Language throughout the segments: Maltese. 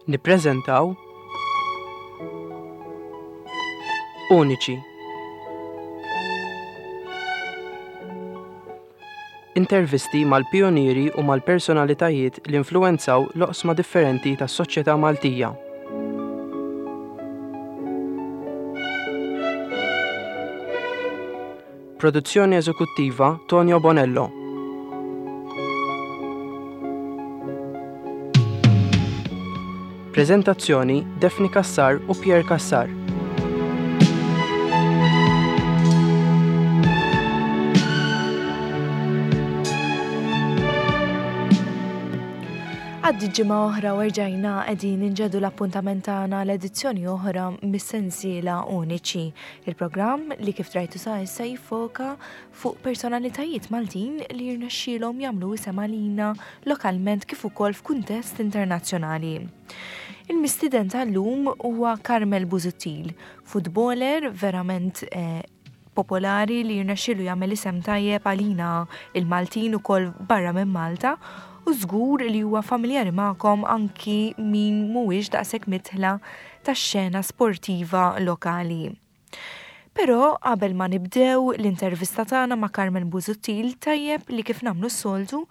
Nippreżentaw Uniċi. Intervisti mal-pijunieri u mal-personalitajiet li influwenzaw l-oqsma differenti tas-soċjetà Maltija. Produzzjoni eżekuttiva Tonio Bonello. Preżentazzjoni Daphne Cassar u Pierre Cassar. Għaddi ġimgħa oħra u erġajna qegħdin inġedu l-appuntament tagħna l-edizzjoni oħra mis-sensiela Uniċi. Il-programm li kif drajtu sa issa jiffoka fuq personalitajiet Maltin li jirnexxielhom jagħmlu isem għalina lokalment kif ukoll f'kuntest internazzjonali. Il-mistieden tal-lum huwa Carmel Busuttil, futboler verament eh, popolari li jirnexxielu jagħmel isem tajjeb għalina il-Maltin ukoll barra minn Malta u żgur li huwa familjari magħkom anki min mhuwiex daqshekk mitħla tax-xena sportiva lokali. Però qabel ma nibdew l-intervista tagħna ma' Carmen Busuttil tajjeb li kif nagħmlu s-soltu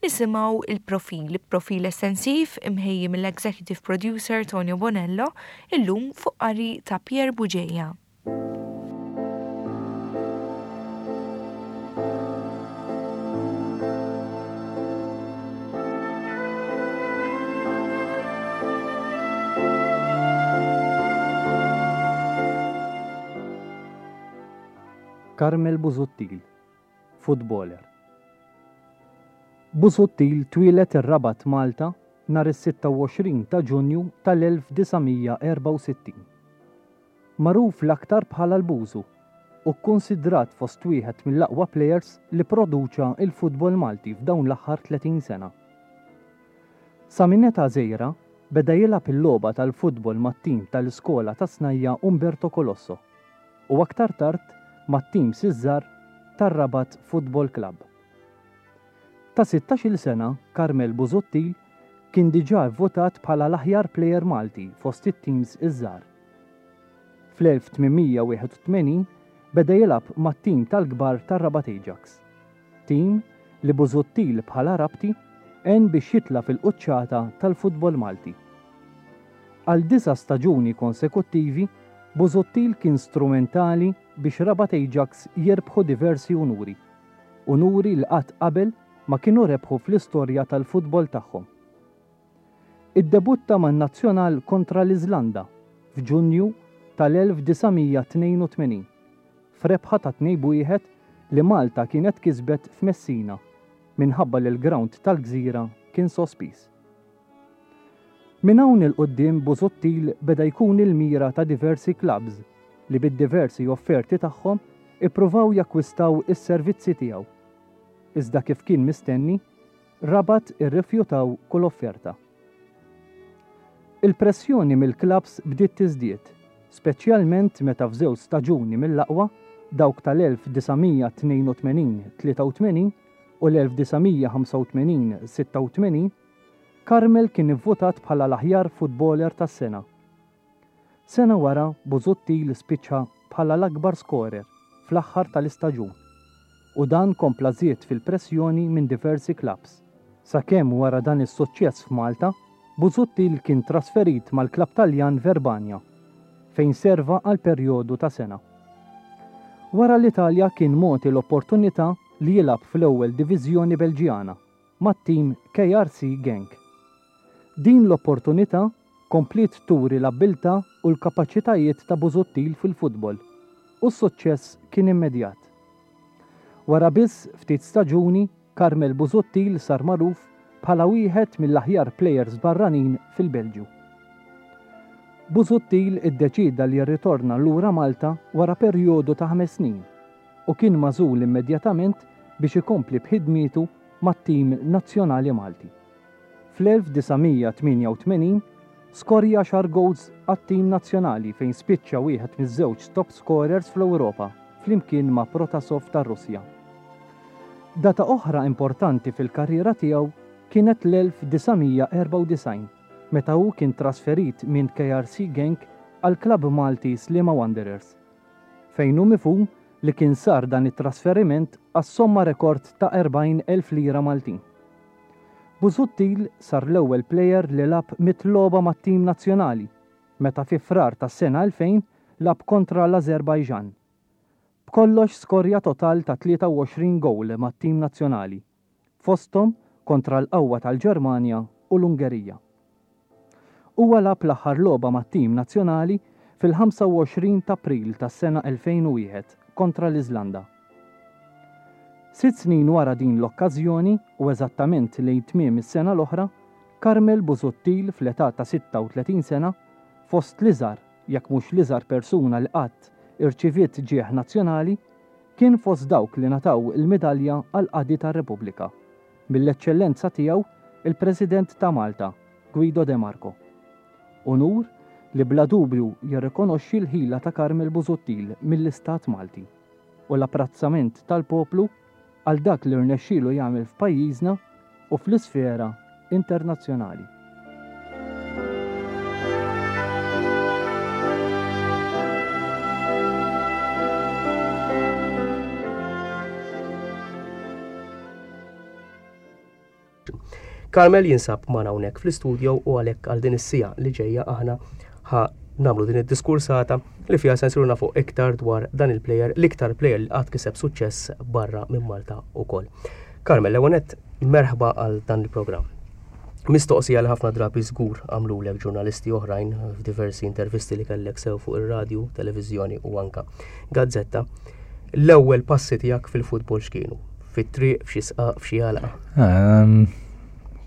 nisimgħu il-profil, profil estensiv imħejji mill-Executive Producer Tonio Bonello illum fuq qari ta' Pierre Bugeja. Carmel Busuttil, futboler. Busuttil twieled ir-Rabat Malta nhar is-26 ta' Ġunju tal-1964. Magħruf l-aktar bħala l-Bużu u kkunsidrat fost wieħed mill-aqwa plejers li pproduċa l-futbol Malti f'dawn l-aħħar 30 sena. Sa minn età żgħira beda jilgħab il-logħba tal-futbol mat-tim tal-iskola tas-snajja' Umberto Colosso u aktar tard mat-tims iż-żgħar tar-Rabat Football Club. Ta' sittax-il sena Carmel Busuttil kien diġà vvutat bħala l-aħjar plejer Malti fost it-tims iż-żgħar. Fl-1881 beda jilgħab mat-tim tal-kbar tar-Rabat Ajax, tim li Busuttil bħala Rabti għen biex jitla' fil-quċċata tal-futbol Malti. Għal disa' staġuni konsekuttivi, Busuttil kien strumentali biex Rabat Ajax jirbħu diversi unuri, unuri li qatt qabel ma kienu rebħu fl-istorja tal-futbol tagħhom. Iddebutta man-nazzjonal kontra l-Iżlanda f'Ġunju tal-1982 f'rebħa ta' 2 b'wieħed li Malta kienet kisbet f'Messina minħabba li l-grawnd tal-gżira kien sospiż. Minn hawn 'il quddiem Busuttil beda jkun il-mira ta' diversi klabbs li bid-diversi offerti tagħhom ippruvaw jakkwistaw is-servizzi tiegħu. Iżda kif kien mistenni, Rabat irrifjutaw kull offerta. Il-pressjoni mill-klabbs bdiet tiżdied, speċjalment meta f'żewġ staġuni mill-aqwa, dawk tal-1982 83 u l-1985 86, Carmel kien ivvutat bħala l-aħjar futboler tas-sena. Sena wara Busuttil spiċċa bħala l-akbar skorer fl-aħħar tal-istaġun u dan kompla żied fil-pressjoni minn diversi klabbs, sakemm wara dan is-suċċess f'Malta, Busuttil kien trasferit mal-klabb Taljan Verbania, fejn serva għal perjodu ta' sena. Wara l-Italja kien mogħti l-opportunità li jilgħab fl-ewwel diviżjoni Belġjana mat-tim KRC Genk. Din l-opportunità kompliet turi l-abbiltà u l-kapaċitajiet ta' Busuttil fil-futbol u s-suċċess kien immedjat. Wara biss ftit staġuni, Carmel Busuttil sar magħruf bħala wieħed mill-aħjar plejers barranin fil-Belġju. Busuttil iddeċieda li jirritorna lura Malta wara perjodu ta' ħames snin u kien magħżul immedjatament biex ikompli b'ħidmietu mat-tim nazzjonali Malti. Fl-1988 skorja għaxar gowls għat-tim nazzjonali fejn spiċċa wieħed miż-żewġ top scorers fl-Ewropa flimkien ma' Protasov tar-Russja. Data oħra importanti fil-karriera tiegħu kienet l-1994. meta hu kien trasferit minn KRC Genk għall-klabb Malti Sliema Wanderers, fejn hu mifhum li kien sar dan it-trasferiment għas-somma rekord ta' 40,000 lira Maltin. Busuttil sar l-ewwel plejer li lagħab mitt logħba mat-tim nazzjonali meta fi Frar tas-sena 2000 lagħab kontra l-Ażerbajġan. B'kollox skorja total ta' 23 gowl mat-tim nazzjonali, fosthom kontra l-qawwa tal-Ġermanja u l-Ungerija. Huwa lagħab l-aħħar logħba mat-tim nazzjonali fil-25 t'April tas-sena 2001 kontra l-Iżlanda. Sitt snin wara din l-okkażjoni u eżattament lejn tmiem is-sena l-oħra, Carmel Busuttil fl-età ta' 36 sena, fost l-iżgħar, jekk mhux l-iżgħar persuna li qatt irċiviet ġieħ nazzjonali, kien fost dawk li ngħataw il-Midalja għall-Qadi tar-Repubblika, mill-Eċċellenza Tiegħu il-President ta' Malta, Guido de Marco. Unur li bla dubju jirrikonoxxi l-ħila ta' Carmel Busuttil mill-Istat Malti u l-apprezzament tal-poplu għal dak li rnexxielu jagħmel f'pajjiżna u fl-isfera internazzjonali. Carmel jinsab magħna hawnhekk fl-istudio u għalhekk għal din is-siegħa li ġejja aħna ħa nagħmlu din id-diskursata li fiha se nsiru nafu iktar dwar dan il-player, l-iktar player li qatt kiseb suċċess barra minn Malta wkoll. Carmel, l-ewwel nett merħba għal dan il-programm. Mistoqsija li ħafna drabi żgur għamlulek ġurnalisti oħrajn f'diversi intervisti li kellek sew fuq ir-radju, televiżjoni u anka gazzetta. L-ewwel passi tiegħek fil-futbol x'kienu? Fit-triq, f'xi sqaq, f'xi għalqa? Ehm,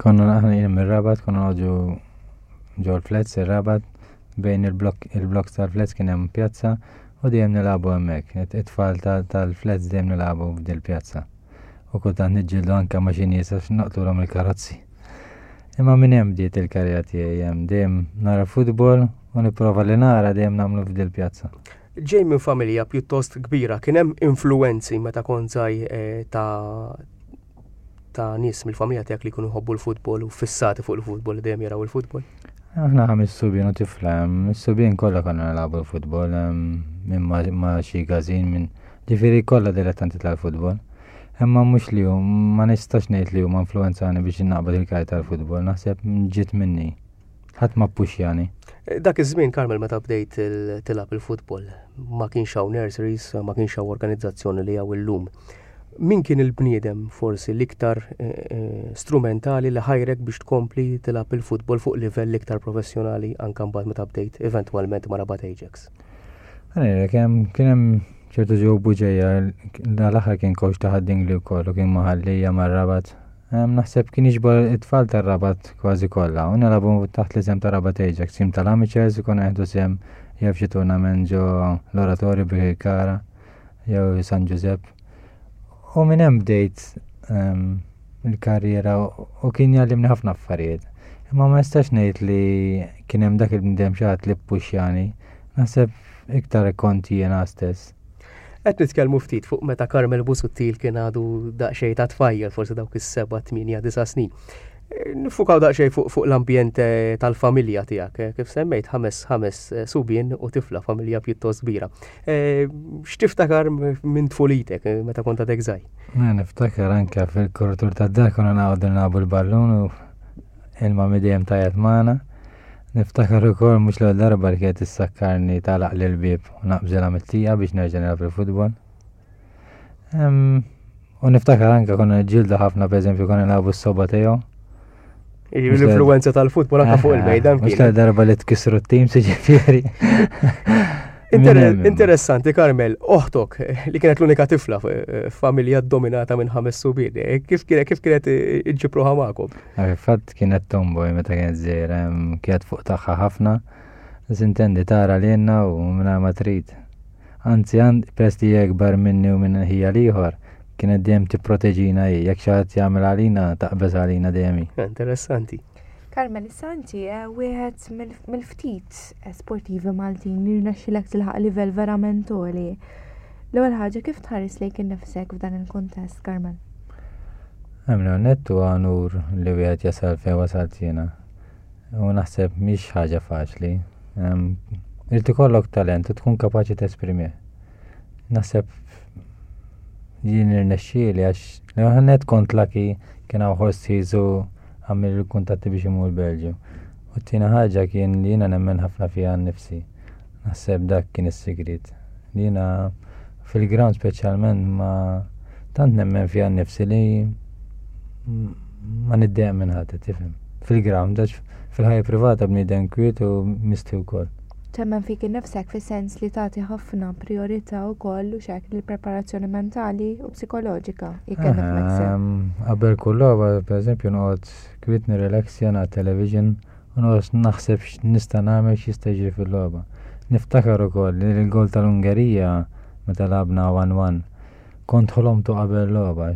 konna aħna jien mir-Rabat, konna noqogħdu ġol flats ir-Rabat bejn il-blok il-blok tal-flats kien hemm pjazza u dejjem nilagħbu hemmhekk. It-tfal tal-flats dejjem nilagħbu f'dil pjazza. U kultant niġġieldu anke ma' xi nies għax naqtulhom il-karozzi. Imma minn hemm bdiet il-karriera tiegħi hemm dejjem nara futbol u nipprova li nara dejjem nagħmlu f'dil pjazza. Ġej minn familja pjuttost kbira, kien hemm influwenzi meta kont żgħir eh, ta' ta' nies mill-familja tiegħek li jkunu jħobbu l-futbol u fissati fuq il-futbol li dejjem jaraw il-futbol? Aħna ħames subien u tifla, is-subien kollha konna nilagħbu l-futbol, minn ma' xi każin minn ġifieri kollha dilettanti tal-futbol. Imma mhux li hu, ma nistax ngħid li huma influwenzani biex naqbad il-karriera tal-futbol, naħseb ġiet minni. Ħadd ma ppuxjani. Dak iż-żmien Carmel meta bdejt tilgħab il-futbol, ma kienx hawn nurseries, ma kienx hawn organizzazzjoni li hawn illum. Min kien il-bniedem forsi l-iktar eh, eh, strumentali li ħajrek biex tkompli tilgħab il-futbol fuq livell iktar professjonali anke mbagħad meta bdejt eventwalment ma' Rabat Ajax? Għalek, kien hemm ċertu ġew buġeja, l-aħħar kien coach ta' Ħad-Dingli wkoll u kien maħallija mar-Rabat. Naħseb kien jiġbor it-tfal tar-Rabat kważi kollha u nilagħbu taħt l-isem ta' Rabat Ajax, tim tal-amateurs ikun qed sehem jew f'xi tournament ġo l-Oratorju Birkirkara jew San Ġużepp. U minn hemm bdejt ehm, il-karriera u kien jgħallimni ħafna affarijiet. Imma ma nistax ngħid li kien hemm dak il-bniedem xi ħadd li ppuxjani. Naħseb iktar kont jiena stess. Qed nitkellmu ftit fuq meta Carmel Busuttil kien għadu daqsxejn ta' tfajjel, forsi dawk is-seba', tmienja, disa' snin. Nifukaw daqsxejn fuq, fuq l-ambjent eh, tal-familja tiegħek, eh, kif semmejt ħames ħames eh, subien u tifla familja pjuttost kbira. X'tiftakar minn tfulitek meta kont għadek żgħir? Niftakar anke fil-korritur tad-dar konna naqgħodu nilagħbu l-ballun u il-mami dejjem tajjat magħna. Niftakar ukoll mhux l-ewwel darba li kienet issakkarni tagħlaq l-bieb u naqbżilha mit-tieqa biex nerġa' nilgħab il-futbol. U niftakar anke konna ġilda ħafna, per eżempju, konna nilagħbu s-soba tiegħu. L-influenza tal-futbol anke fuq il-mejda. Mhux darba li tkissru t-tim, siġifieri. Interessanti, Carmel, oħtok li kienet l-unika tifla f'familja dominata minn ħames subien, eh, kif kienet kif kienet iġġibruha magħkom? Eh, fatt kienet tomboy meta kienet żgħira, kienet fuq tagħha ħafna. Sintendi tara li jenna u minna ma trid. Anzi, peress li hija ikbar minni u minn ħija l-ieħor, kienet dejjem tipproteġina hi, jekk xi ħadd jagħmel għalina taqbeż għalina dejjem hi. Interessanti. Carmel, issa inti eh, wieħed mill-ftit eh, sportivi Maltin li rnexxilek tilħaq livell verament għoli. L-ewwel ħaġa kif tħares lejk innifsek f'dan il-kuntest, Carmel? Għamlu nettu għanur li wieħed jasal fejn wasalt jiena. U naħseb mhix ħaġa faċli. Irid ikollok talent u tkun kapaċi tesprimih. Naħseb jien irnexxieli għax l-ewwel kont lucky kien hawn ħoss u għamil il-kuntatti biex imur Belġju. U t-tieni ħaġa kien li jiena nemmen ħafna fiha nnifsi. Naħseb dak kien is-sigriet. Li jiena fil-ground speċjalment ma tant nemmen fiha nnifsi li ma niddejjaq minn ħadd, tifhem. Fil-ground, għax fil-ħajja privata bniedem kwiet u misti wkoll. Temmen fik innifsek fis-sens li tagħti ħafna prijorità wkoll u xek lill-preparazzjoni mentali u psikoloġika, jekk qed nifhmek sew. Qabel kull logħba, pereżempju, noqgħod kwiet nirrelaxja nara television u noqgħod naħseb x'nista' nagħmel x'jista' jiġri fil-logħba. Niftakar ukoll li l-gol tal-Ungerija meta lagħabna 1-1 kont ħolomtu qabel logħba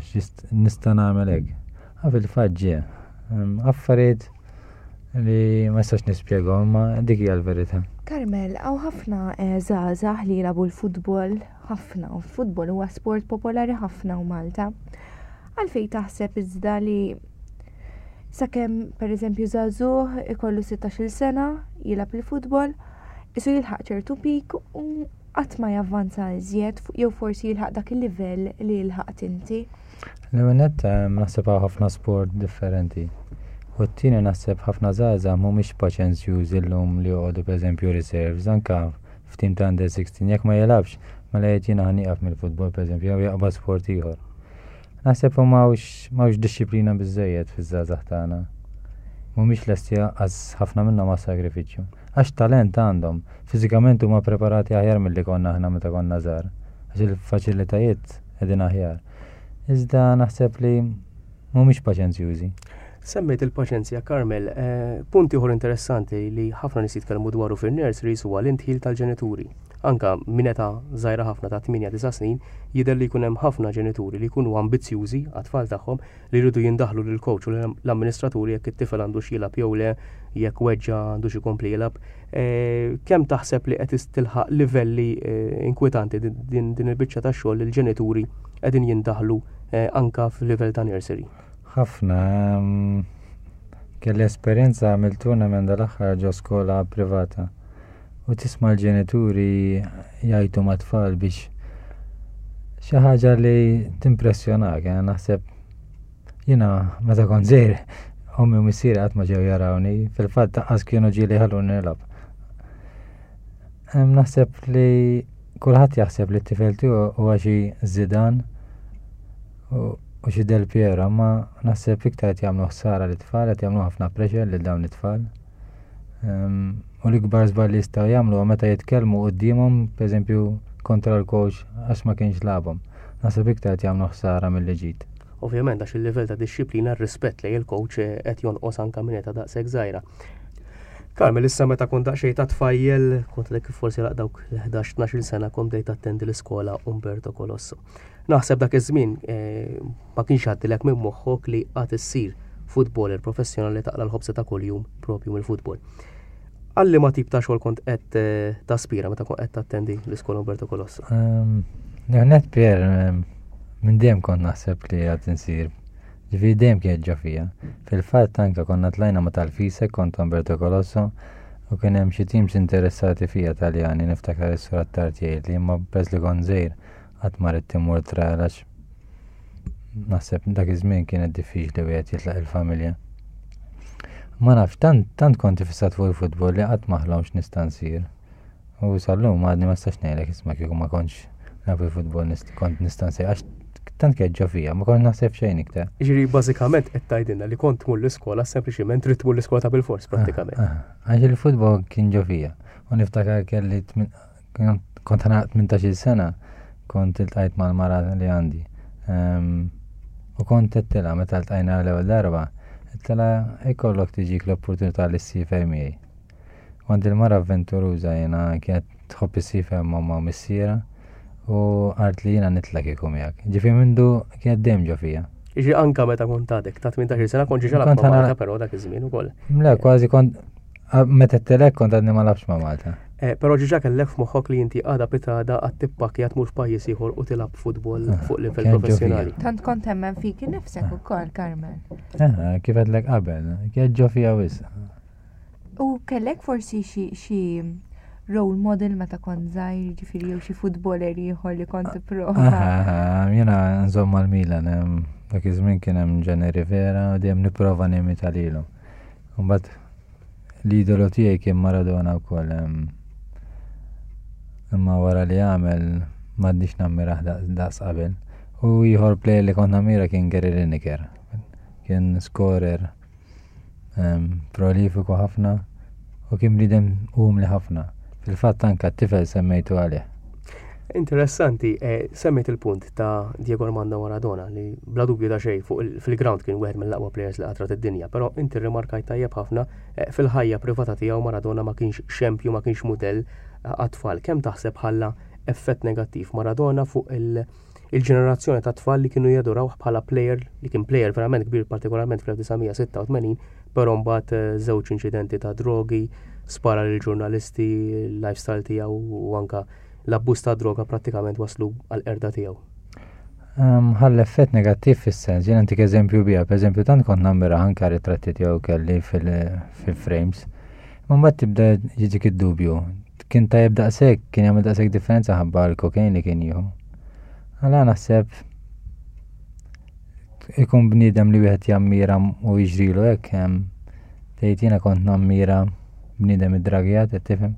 nista' nagħmel hekk. Ah, fil-fatt ġie. Affarijiet li ma nistax nispjegahom, imma dik hija l-verità. Carmel, hawn ħafna eh, żgħażagħ li jilagħbu l-futbol, ħafna, u l-futbol huwa sport popolari ħafna u Malta. Għalfejn taħseb iżda li sakemm pereżempju żagħżugħ ikollu 16-il sena jilgħab il-futbol, isu jilħaq ċertu pik u qatt ma javvanza iżjed jew forsi jilħaq dak il-livell li lħaqt inti? L-ewwel nett naħseb hawn ħafna sport differenti. U t-tieni naħseb ħafna żgħażagħ mhumiex paċenzjużi llum li joqogħdu pereżempju reserves anke f'tim ta' under 16 jekk ma jilgħabx mela jgħid jiena ħa nieqaf mill-futbol pereżempju jew jaqbad sport ieħor. Naħseb u m'hawnx dixxiplina biżżejjed fiż-żgħażagħ tagħna. Mhumiex lesti lanqas ħafna minnhom għas-sagrifiċċju. Għax talent għandhom, fiżikament huma preparati aħjar milli konna aħna meta konna żgħar. Għax il-faċilitajiet qegħdin aħjar. Iżda naħseb li mhumiex paċenzjużi. Semmejt il-paċenzja, Carmel. Eh, punt ieħor interessanti li ħafna nies jitkellmu dwaru fin-nurseries huwa l-intħil tal-ġenituri. Anka minn età żgħira ħafna ta' 8-9 snin jidher li jkun hemm ħafna ġenituri li jkunu ambizzjużi għat-tfal tagħhom li jridu jindaħlu lill-coach u l-amministraturi jekk it-tifel għandux jilgħab jew le, jekk weġġa' għandux ikompli jilgħab. Eh, kemm taħseb li qed tilħaq livelli eh, inkwetanti din il-biċċa ta' xogħol li l-ġenituri qegħdin jindaħlu eh, anka f'livell ta' nursery? Ħafna. Ehm, kelli esperjenza għamil tournament dal-aħħar ġo skola privata. U tisma' l-ġenituri jgħajtu mat-tfal biex xi ħaġa li timpressjonak, eh, naħseb jiena meta kont żgħir ommi u missieri qatt ma ġew jarawni, fil-fatt taqqas kienu ġieli ħalluni nilgħab. Naħseb li kulħadd jaħseb li t-tifel tiegħu huwa xi Zidane u xi Del Piero, ma naħseb iktar qed jagħmlu ħsara lit-tfal, qed jagħmlu ħafna pressure lil dawn it-tfal. U l-ikbar żball li jistgħu jagħmlu huwa meta jitkellmu quddiemhom, pereżempju kontra l-coach għax ma kienx lagħabhom. Naħseb iktar qed jagħmlu ħsara milli ġid. Ovvjament għax il-livell ta' dixxiplina, r-rispett lejn il-coach eh, qed jonqos anke minn età daqshekk żgħira. Carmel, issa meta kont daqsxejn ta' tfajjel, kont lek forsi laq dawk l-11-12 sena kont bdejt attendi l-iskola Umberto Colosso. Naħseb dak iż-żmien eh, ma kienx għaddilek minn moħħok li għad issir futboler professjonali taqla l-ħobza ta' kuljum propju mill-futbol. Għalli ma tip ta' xogħol kont qed eh, taspira meta kont qed tattendi l-iskola Umberto Colosso? Ehm, net Pier, ehm, minn dejjem kont naħseb li għad insir. Ġifieri dejjem kienet ġo fija. Fil-fatt anke konna tlajna ma' tal-Fisek kont Umberto Colosso u kien hemm xi teams interessati fija Taljani niftakar is-sur Attard jgħidli imma peress li kont żgħir Qatt ma ridt immur trial għax naħseb dak iż-żmien kienet diffiċli wieħed jitlaq il-familja. Ma nafx, tant, tant kont ifissat fuq il-futbol li qatt ma ħlomx nista' nsir. U sal-lum għadni ma nistax ngħidlek isma' kieku ma kontx naf il-futbol kont nista' nsir għax tant kienet ġo fija, ma kontx naħseb xejn iktar. Ġifieri bażikament qed tgħidilna li kont tmur l-iskola sempliċiment trid tmur l-iskola ta' bilfors ah, prattikament. Ah, għax il-futbol kien ġo fija. U niftakar kelli Kont ħana 18 sena, kont iltqajt mal-mara li għandi. Ehm, u kont għedtilha meta ltqajna l-ewwel darba, għedtilha ikollok tiġik l-opportunità li ssifer miegħi. Kont il-mara avventuruża jiena kienet tħobb issifer ma' ma' missiera u għart li jiena nitla kieku miegħek. Ġifieri mindu kienet dejjem ġo fija. Ġi anka meta kont għadek ta' 18 sena kont ġiġa ma' Malta però dak iż-żmien ukoll. Le, kważi kont Meta t-telek kont għadni ma labx ma' Malta. Eh, però ġiġa kellek f'moħħok li inti għada pitada għad tippakja tmur f'pajjiż ieħor u tilgħab futbol ah, fuq livell professjonali. Tant kont temmen fik innifsek ukoll, Carmen. Eh, kif għedlek qabel, kien ġo fija wisq. U kellek forsi xi role model meta kont żgħir, ġifieri jew xi futboler ieħor li kont tipprova. Jiena nżomm mal-Milan, dak iż-żmien kien hemm Gianni Rivera u dejjem nipprova nimita lilu. Mbagħad l-idolu tiegħi kien Maradona wkoll. Imma wara li għamel m'għadniex nammirah daqs qabel. U ieħor player li kont nammira kien Gary Lineker. Kien scorer prolifiku ħafna u kien bniedem umli ħafna. Fil-fatt anka t-tifel semmejtu għalih. Interessanti, eh, semmejt il-punt ta' Diego Armando Maradona li bla dubju ta' xejn fuq fil-ground kien wieħed mill-aqwa players li qatrat id-dinja, però inti rrimarkajt tajjeb ħafna eh, fil-ħajja privata tiegħu Maradona ma kienx xempju, ma kienx mudell eh, għat-tfal. Kemm taħseb ħalla effett negattiv Maradona fuq il- il-ġenerazzjoni ta' tfal li kienu jadurawh bħala player li kien player verament kbir partikolarment fl-1986, però mbagħad eh, żewġ inċidenti ta' drogi, spara lil ġurnalisti, l-lifestyle tiegħu u anka l-abbuż ta' droga prattikament waslu għal erda tiegħu. Ehm, ħall effett negattiv fis-sens, jien antik eżempju bija, per eżempju tant kont nammira anka ritratti tiegħu kelli fil-frames. Ma mbagħad tibda jiġik id-dubju, Kien tajjeb daqshekk, kien jagħmel daqshekk differenza ħabba l-kokain li kien jieħu. Għala naħseb ikun bniedem li wieħed jammira u jiġrilu hekk hemm tgħid jiena kont nammira bniedem id-dragijat qed tifhem.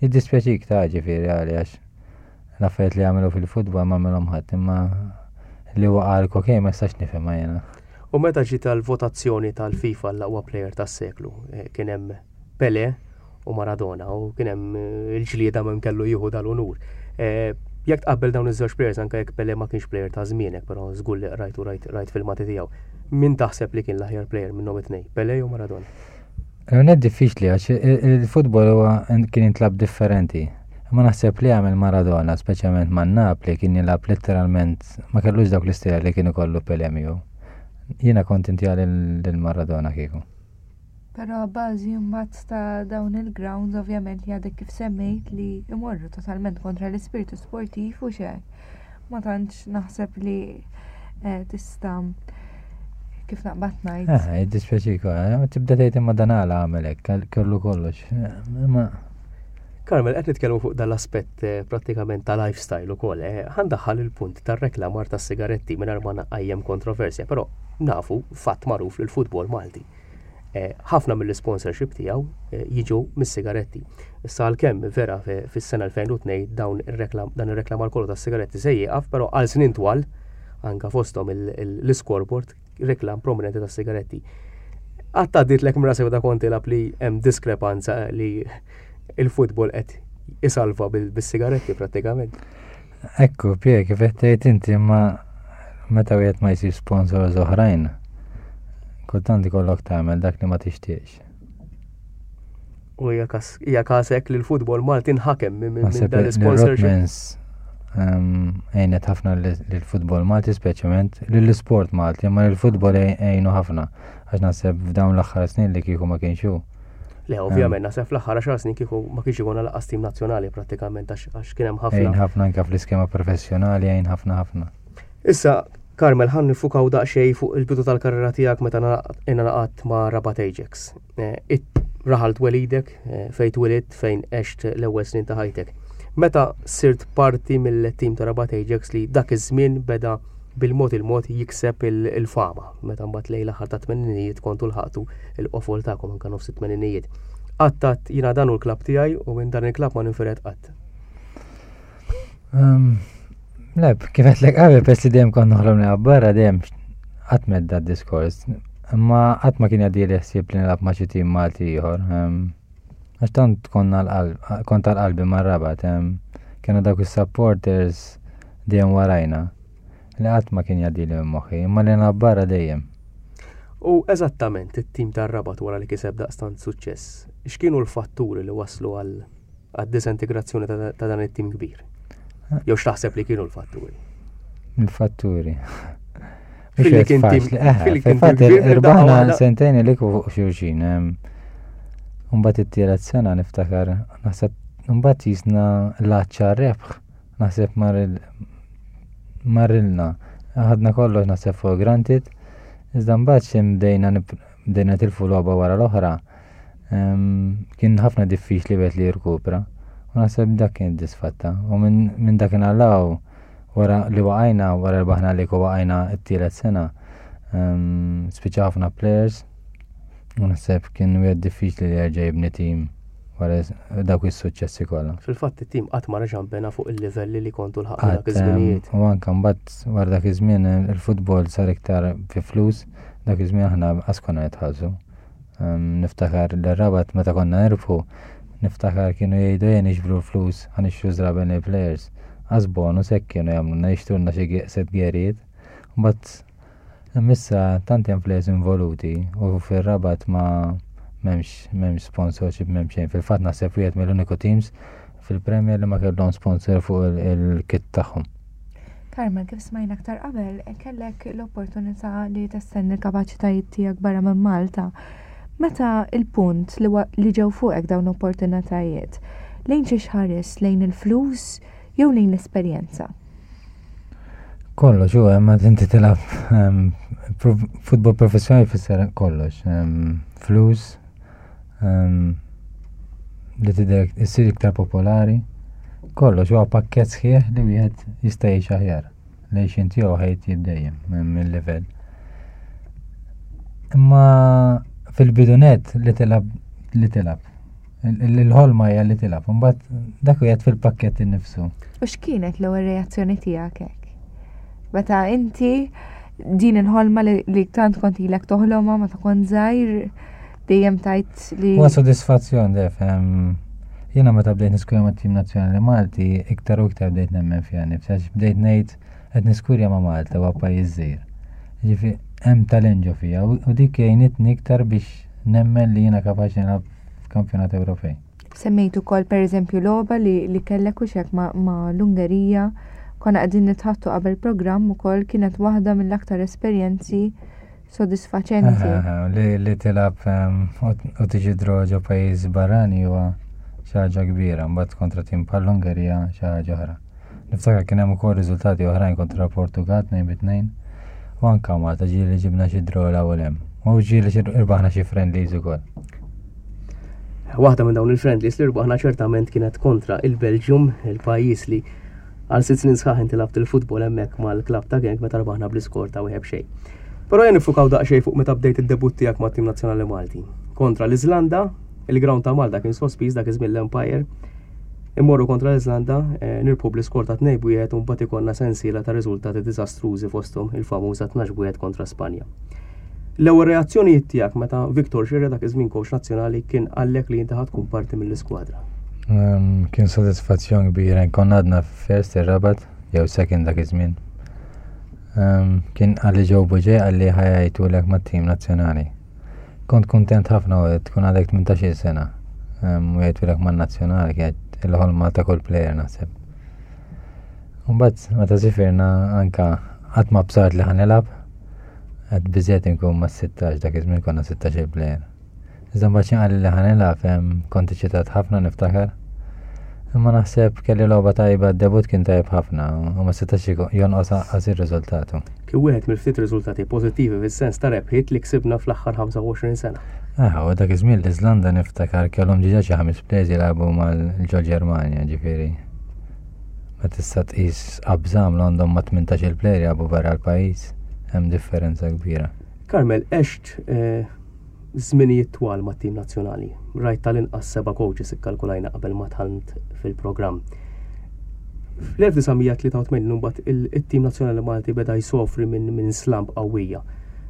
Jiddispjaċik ta' ġifieri għali għax l-affarijiet li għamelu fil-futbol ma għamilhom ħadd imma li waqa' l-kokejn ma jistax nifhimha jiena. U meta ġiet għall-votazzjoni tal-FIFA l-aqwa plejer tas-seklu, eh, kien hemm Pele u Maradona u kien hemm eh, il-ġlieda minn kellu jieħu dal-unur. Eh, jekk tqabbel dawn iż-żewġ players anke jekk Pele ma kienx player ta' żmienek, però żgur li qrajt u rajt rajt filmati tiegħu. Min taħseb li kien l-aħjar player minnhom it-tnejn, Pele jew Maradona? Għonet diffiċli għax il-futbol huwa kien jintlab differenti. Ma naħseb li għamel Maradona, speċjalment ma' Napli, kien jilgħab letteralment ma kellux dawk l-istila li kienu kollu Pele miegħu. Jiena kont inti lil Maradona kieku. Però bażi mbagħad ta' dawn il-grounds ovvjament li għadek kif semmejt li imorru totalment kontra l-ispirtu sportiv u xejn. Ma tantx naħseb li eh, tista' kif naqbad ngħid. Eh, jiddispjaċik, eh, tibda tgħid imma dan għala għamel hekk, kellu kollox. Eh, imma Carmel, qed nitkellmu fuq dal-aspett eh, prattikament ta' lifestyle ukoll. Eh, ħandaħħal il-punt tar-reklamar tas-sigaretti mingħajr ma naqajjem kontroversja, però nafu fatt magħruf li l-futbol Malti Eh, ħafna mill-sponsorship tiegħu eh, jiġu mis-sigaretti. Issa għalkemm vera fis-sena 2002 dawn ir-reklam dan ir-reklamar kollu tas-sigaretti se jieqaf, però għal snin twal anka fosthom l-scoreboard reklam prominenti tas-sigaretti. Qatt għadditlek minn rasek da kont tilgħab li hemm diskrepanza li il-futbol qed isalva bis-sigaretti prattikament. Ekku, Pie, kif qed tgħid inti imma meta wieħed ma jsib sponsors oħrajn, kultant ikollok tagħmel dak li ma tixtieqx. U hija każ hekk li l-futbol Malti nħakem minn dan l-sponsorship. Ehm, għejnet ħafna lill-futbol Malti speċjalment lill-isport Malti, imma lill-futbol għejnu ħafna għax naħseb f'dawn l-aħħar snin li kieku ma kienx hu. Le, ovvjament, naħseb fl-aħħar 10 snin kieku ma kienx ikun lanqas tim nazzjonali prattikament għax kien hemm ħafna. Għejn ħafna anke fl-iskema professjonali, għejn ħafna ħafna. Issa, Carmel, ħan nifukaw daqsxejn fuq il-bidu tal-karriera tiegħek meta ingħaqadt ma' Rabat Ajax. Eh, raħal twelidek, eh, fejn twilidt, fejn għext l-ewwel snin ta' ħajtek. Meta sirt parti mill-tim ta' Rabat Ajax li dak iż-żmien beda bil-mod il-mod jikseb il-fama, meta mbagħad lejn l-aħħar ta' tmeninijiet kontu lħaqtu il-qofol tagħkom anke nofs it-tmeninijiet. Qatt għadt jiena dan hu l-klabb tiegħi u minn dan il-klabb ma ninfired qatt. Um, le, kif qed qabel pers li dejjem kont noħlom nilgħab barra dejjem qatt medda d-diskors. Imma qatt ma kien jgħaddi ħsieb li nilgħab ma' xi tim Malti ieħor. Um, għax tant konna l-qalb, kont għal-qalbi mar-Rabat, um, kienu dawk is-supporters dejjem warajna. Li qatt ma kien jgħaddili minn moħħi, imma li nilgħab barra dejjem. U eżattament it-tim tar-Rabat wara li kiseb daqstant suċċess, x'kienu l-fatturi li wasslu għal għad-disintegrazzjoni ta' dan it-tim kbir? Jew x'taħseb li kienu l-fatturi? Il-fatturi. Fil-li kien tim. Eh, fil-fatt irbaħna sentejn li fuq xulxin. Mbagħad it-tielet sena niftakar, naħseb mbagħad jisna l-għaċċa rebħ Naħseb marrilna. Ħadna kollox naħseb for granted. Iżda mbagħad xi bdejna bdejna tilfu logħba wara l-oħra. Kien ħafna diffiċli wieħed li jirkupra. U naħseb dak kien disfatta. U minn dak law wara li waqajna, wara rbaħna li waqajna t-tielet sena, spiċċa ħafna players. U naħseb kien wieħed diffiċli li jerġa' jibni tim wara dawk is-suċċessi kollha. Fil-fatt it-tim qatt ma reġa' nbena fuq il-livelli li kontu lħaqtu dak iż-żminijiet. U anke mbagħad wara dak iż-żmien il-futbol sar iktar fi flus, dak iż-żmien aħna qas konna nitħallsu. Niftakar l-Rabat meta konna nirbħu, niftakar kienu jgħidu ejja niġbru l-flus ħa nixtru żraben lill-players. Qas bonus hekk kienu jagħmlulna jixtrulna xi set gerijiet. Mbagħad issa tant hemm players involuti u fir-Rabat ma m'hemmx m'hemmx sponsorship m'hemm xejn. Fil-fatt naħseb wieħed mill-uniku teams fil-Premier li ma kellhom sponsor fuq il-kit tagħhom. Carmel, kif smajna aktar qabel, kellek l-opportunità li testendi l-kapaċitajiet tiegħek barra minn Malta. Meta il-punt li, li ġew fuqek dawn l-opportunitajiet, lejn xiex ħares, lejn il-flus jew lejn l-esperjenza? Kollox, u hemm inti tilgħab ehm, futbol professjonali fisser kollox. Ehm, flus, ehm, li tidher issir iktar popolari. Kollox huwa pakkett sħiħ li wieħed jista' jgħix aħjar. L-għixien tiegħu ħajt jibdejjem mill-livell. Imma fil-bidunet li tilab li tilab. Il-ħolma hija li tilab, imbagħad dak qiegħed fil-pakkett innifsu. U x'kienet l-ewwel reazzjoni tiegħek hekk? Meta inti din il-ħolma li tant kont ilek toħlomha meta kont żgħir dejjem tajt li. Huwa sodisfazzjon def. Jiena meta bdejt niskurja mat-tim nazzjonali Malti, iktar u iktar bdejt nemmen fiha nifsi, għax bdejt ngħid qed niskurja ma' Malta huwa pajjiż żgħir. Ġifi hemm talent ġo fija u dik għinitni iktar biex nemmen li jiena kapaċi nilgħab f'kampjonat Ewropej. Semmejt ukoll pereżempju logħba li, li kellek u xek ma, ma l-Ungerija konna qegħdin nitħattu qabel programm ukoll kienet waħda mill-aktar esperjenzi sodisfaċenti. Li, li tilab ehm, u tiġi draw ġo pajjiż barrani huwa xi ħaġa kbira, mbagħad kontra tim bħall-Ungerija xi ħaġa oħra. Niftakar kien hemm ukoll riżultati oħrajn kontra Portugal 2-2 u anka Malta ġieli ġibna xi draw l hemm. U ġieli irbaħna xi friendlies ukoll. Waħda minn dawn il-friendlies li rbaħna ċertament kienet kontra il-Belġium, il-pajjiż li għal sitt snin sħaħ inti labt il-futbol hemmhekk mal-klabb ta' Genk meta rbaħna bl-iskor ta' wieħed xejn. Però jien nifukaw daqsxejn fuq meta bdejt id-debutt tiegħek mat-tim nazzjonali Malti. Kontra l-Iżlanda, il-ground ta' Malta kien sospiż dak iż-żmien l-Empire. Immorru kontra l-Iżlanda, eh, nirbħu bl-iskor ta' 2 wieħed u mbagħad ikollna sensiela ta' riżultati diżastrużi fosthom il-famuża 12 wieħed kontra Spanja. L-ewwel reazzjonijiet tiegħek meta Victor Xirre dak iż-żmien coach nazzjonali kien qallek li inti ħa tkun parti mill-iskwadra? Ehm, kien sodisfazzjon kbira, konna għadna first ir-rabat, jew second dak iż-żmien. Ehm, kien qalli ġew buġej qalli ħajajtulek mat-tim nazzjonali. Kont kuntent ħafna u tkun għadek 18 sena. Ehm, u jgħidulek man-nazzjonali kienet il-ħolma ta' kull player naħseb. Mbagħad meta sifirna anka qatt ma bsart li ħanilab, Għad biżiet inkun ma' 16 dak iż-żmien konna 16 il-plejer. Iżda mbagħad xi qal li ħanilgħab hemm kont eċitat ħafna niftakar. Imma naħseb kelli logħba tajba d-debut kien tajjeb ħafna u ma setax jonqos anqas ir-riżultatu. Kien wieħed mill-ftit riżultati pożittivi fis-sens ta' rebħiet li ksibna fl-aħħar 25 sena. Ah, u dak iż-żmien l-Iżlanda niftakar kellhom diġà xi ħames players jilagħbu mal-ġol Ġermanja, ġifieri. Ma tista' tqis qabża għamlu għandhom ma' 18 il-plejer jilagħbu barra l-pajjiż, hemm differenza kbira. Carmel, għext eh, żminijiet twal mat-tim nazzjonali. Rajt tal-inqas seba' coaches ikkalkulajna qabel ma dħalt fil-programm. Fl-1983 mbagħad it-tim nazzjonali Malti beda jsofri minn min slump qawwija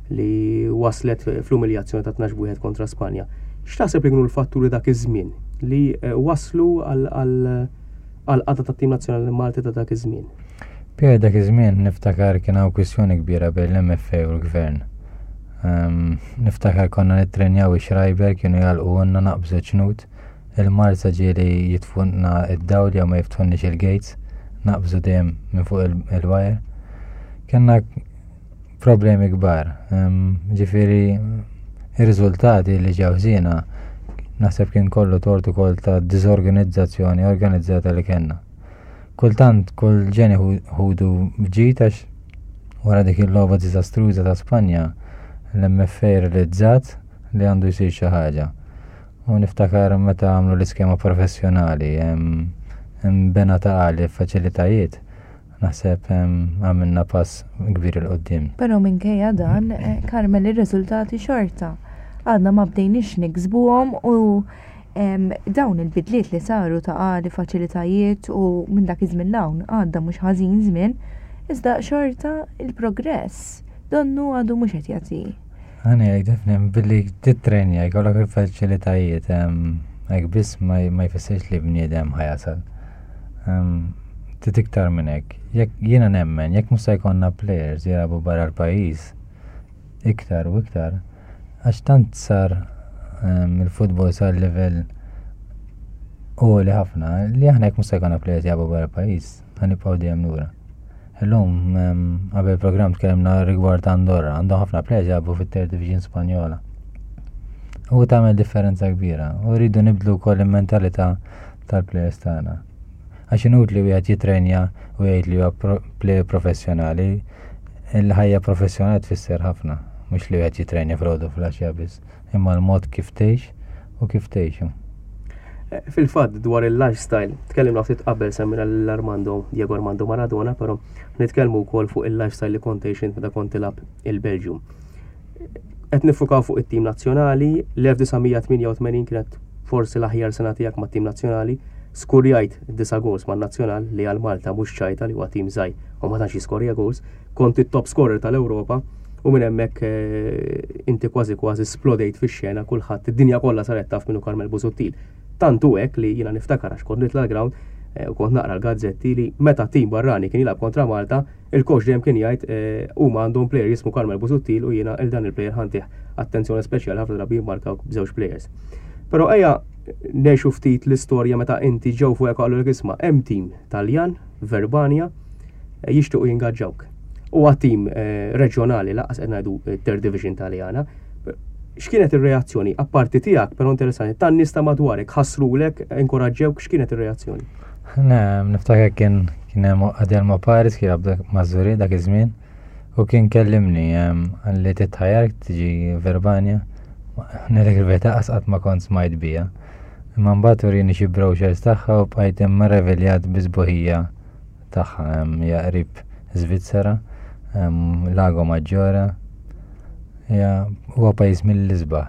li waslet fl-umiljazzjoni ta' 12 wieħed kontra Spanja. X'taħseb li kienu l-fatturi dak iż-żmien li eh, waslu għal għall-qagħda tat-tim nazzjonali Malti ta' dak iż-żmien. Pierre dak iż-żmien niftakar kien hawn kwistjoni kbira bejn l-MFA u l-Gvern. Um, niftakar konna nittrenjaw ix-Schreiber kienu jgħalqulna naqbżu ċnut, il-Marsa ġieli jitfunna id-dawl jew ma jiftħunniex il-gates, naqbżu dejjem minn fuq il-wire. Kenna problemi kbar. Ġifieri ir-riżultati li ġew ħżiena naħseb kien kollu tort ukoll ta' diżorganizzazzjoni organizzata li kellna. Kultant kull ġeni ħudu ġid għax wara dik il-logħba diżastruża ta' Spanja l-MFA realizzat li għandu jsir xi ħaġa. U niftakar meta għamlu l-iskema professjonali, bena ta' għali faċilitajiet, naħseb għamilna pass kbir il-qoddim. Pero minkejja dan, eh, Carmel ir-riżultati xorta. Għadna ma bdejniex niksbuhom u dawn il-bidliet li saru ta' għali faċilitajiet u minn dak iż-żmien l-hawn għadda mhux ħażin żmien, iżda xorta il-progress donnu għadu mhux qed jagħti. Għani għaj defni, billi titrenja, jkollok il-faċilitajiet, hekk biss ma jfissirx li bniedem ħajasal. Trid iktar minn hekk. Jekk jiena nemmen, jekk mhux se jkollna players jilagħbu barra l-pajjiż, iktar u iktar, għax tant sar il-futbol sar livell għoli ħafna li aħna jekk mhux se jkollna players jilagħbu barra l-pajjiż, ħanibqgħu dejjem lura. Illum qabel programm tkellimna rigward Andorra, għandhom ħafna players jilagħbu fit-Third Division Spanjola. U tagħmel differenza kbira u rridu nibdlu wkoll il-mentalità tal-players tagħna. Għax inutli wieħed jitrenja u jgħid li huwa player professjonali, il-ħajja professjonali tfisser ħafna, mhux li wieħed jitrenja filgħodu filgħaxija biss, imma l-mod kif tgħix u kif tgħixu. Eh, fil-fatt dwar il-lifestyle, tkellimna ftit qabel semmina l-Armando, Diego Armando Maradona, però nitkellmu wkoll fuq il-lifestyle li kont tgħix meta kont tilgħab il-Belġju. Qed nifukaw fuq it-tim nazzjonali, l-1988 kienet forsi l-aħjar sena tiegħek mat-tim nazzjonali, skurjajt disa goals man-nazzjonal li għal Malta mhux ċajta li huwa tim żgħir u ma tantx jiskorja goals, kont it-top scorer tal-Ewropa u minn hemmhekk eh, inti kważi kważi splodejt fix-xena kulħadd id-dinja kollha saret taf minnu Carmel Busuttil. Tant hu hekk li jiena niftakar għax kont nitla' l-ground eh, u kont naqra l-gazzetti li meta tim barrani kien jilgħab kontra Malta, il-coach dejjem kien jgħid eh, huma għandhom player jismu Carmel Busuttil u jiena il dan il-player ħantih attenzjoni speċjali ħafna drabi jimmarkaw b'żewġ players. Però ejja ngħixu ftit l-istorja meta inti ġew fuq qalu l isma' hemm tim Taljan, Verbania, eh, jixtiequ jingaġġawk. Huwa tim reġjonali laqas qed ngħidu third division Taljana, X'kienet ir-reazzjoni, apparti tiegħek, però interessanti, tan-nies ta' madwarek, ħassrulek, inkoraġġewk, x'kienet ir-reazzjoni? Ne, niftakar kien kien hemm Adelmo Paris kien jilgħab ma' Żuri dak iż-żmien u kien kellimni għalli titħajar tiġi Verbania. Ngħidlek il-verità qas qatt ma kont smajt bija. Imma mbagħad urini xi brochures tagħha u bqajt immeraviljat bi sbuħija tagħha hija qrib Svizzera, Lago Maggiore, hija huwa pajjiż mill-isbaħ.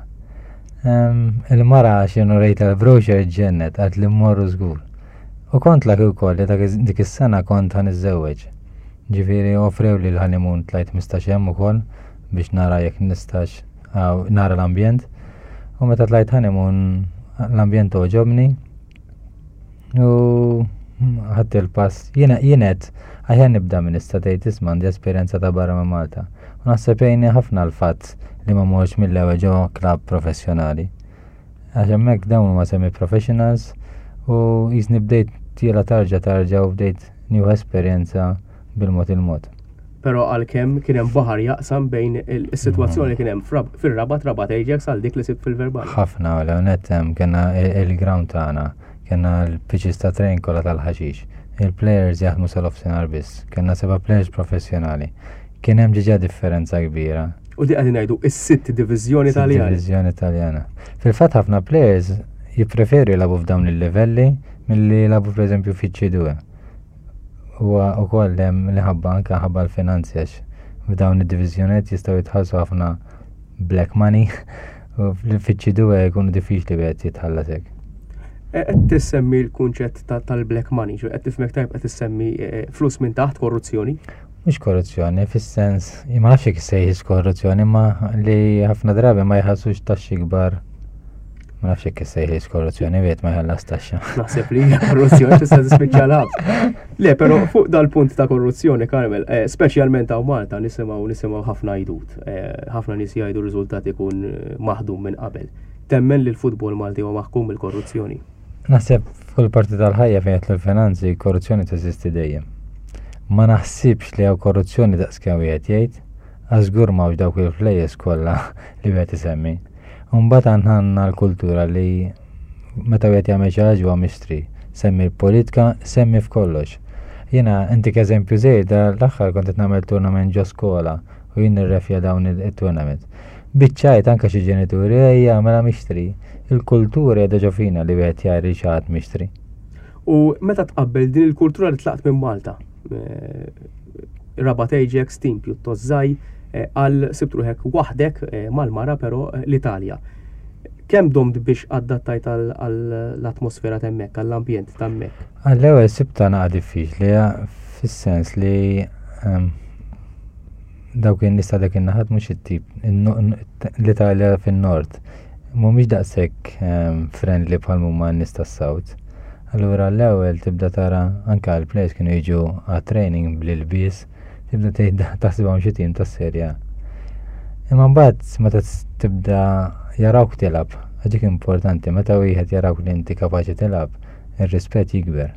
Il-mara x'inhu rejta l-brochure ġennet għad li mmorru żgur. U kont laki wkoll li dik is-sena kont ħa niżżewweġ. Ġifieri offrew li l-honeymoon tlajt 15 hemm ukoll biex nara jekk nistax nara l-ambjent. U meta tlajt honeymoon l-ambjent għoġobni U ħadd il-pass, jiena jienet aħjar nibda minn issa tgħid isma' għandi esperjenza ta' barra minn Malta. U naħseb jgħinni ħafna l-fatt li ma morx mill-ewwel ġo klabb professjonali. Għax hemmhekk dawn huma semi professionals u jisni bdejt tiela tarġa tarġa u bdejt nieħu esperjenza bil-mod il-mod. Però għalkemm kien hemm baħar jaqsam bejn is-sitwazzjoni kien hemm fir-Rabat, Rabat Ajax għal dik li sibt fil-Verbania. Ħafna, u net hemm kellna il-ground tagħna, kellna l-pitches ta' train kollha tal-ħaxix. Il-players jaħdmu sal-offsinar biss, kellna seba' players professjonali. Kien hemm ġiġa differenza kbira. U di qegħdin ngħidu is-sitt diviżjoni Taljana. Diviżjoni Taljana. Fil-fatt ħafna players jippreferu jilagħbu f'dawn il-livelli milli jilagħbu pereżempju fiċ-C2. Huwa wkoll hemm li ħabba anke ħabba l-finanzi għax f'dawn id-diviżjonijiet jistgħu jitħallsu ħafna black money u fiċ-ċidue jkunu diffiċli wieħed jitħallas hekk. E, qed tissemmi l-kunċett tal-black money, ġo qed tifhmek tajb qed tissemmi e, e, flus minn taħt korruzzjoni? Mhux korruzzjoni, fis-sens, ma nafx jekk issejħix korruzzjoni, ma li ħafna drabi ma jħallsux taxxi kbar Ma nafx jekk issejħiex korruzzjoni wieħed ma jħallas taxxa. Naħseb li hija korruzzjoni tista' tispiċċa l Le, però fuq dal-punt ta' korruzzjoni, Carmel, eh, speċjalment hawn Malta nisimgħu nisimgħu ħafna jdut. Eh, ħafna nies jgħidu riżultat ikun eh, maħdum minn qabel. Temmen li l-futbol Malti huwa maħkum mill-korruzzjoni? Naħseb f'kull parti tal-ħajja fejn jidħlu l-finanzi, korruzzjoni teżisti dejjem. Ma naħsibx li hawn korruzzjoni daqskemm wieħed jgħid, għax żgur m'hawnx dawk il-flejjes kollha li wieħed isemmi. U mbagħad aħna għandna l-kultura li meta wieħed jagħmel xi ħaġa huwa mixtri. Semmi l-politika, semmi f'kollox. Jiena intik eżempju żgħir l-aħħar kont qed nagħmel tournament ġo skola u jien nirrefja dawn it-tournament. Biċ-ċajt anke xi ġenituri ejja mela mixtri. Il-kultura qiegħda ġo fina li wieħed jgħir lil xi ħadd mixtri. U meta tqabbel din il-kultura li tlaqt minn Malta, eh, Rabat Ajax, tim pjuttost żgħir, eh, għal sibt ruħek waħdek eh, mal-mara però l-Italja. Kemm domt biex adattajt għall-atmosfera t'hemmhekk, għall-ambjent t'hemmhekk? Għall-ewwel sibtha naqa' diffiċli fis-sens li ehm, dawk in-nies ta' dak in-naħat mhux it-tip l-Italja fin-nord mhumiex daqshekk ehm, friendly bħal huma n-nies tas-South. Allura l-ewwel tibda tara anke l-players kienu jiġu għat-training bl-ilbies, tibda tgħid taħsibhom xi tim tas-Serje A. Imma mbagħad meta tibda jarawk tilgħab, għax dik importanti, meta wieħed jarawk li inti kapaċi tilgħab, ir-rispett jikber.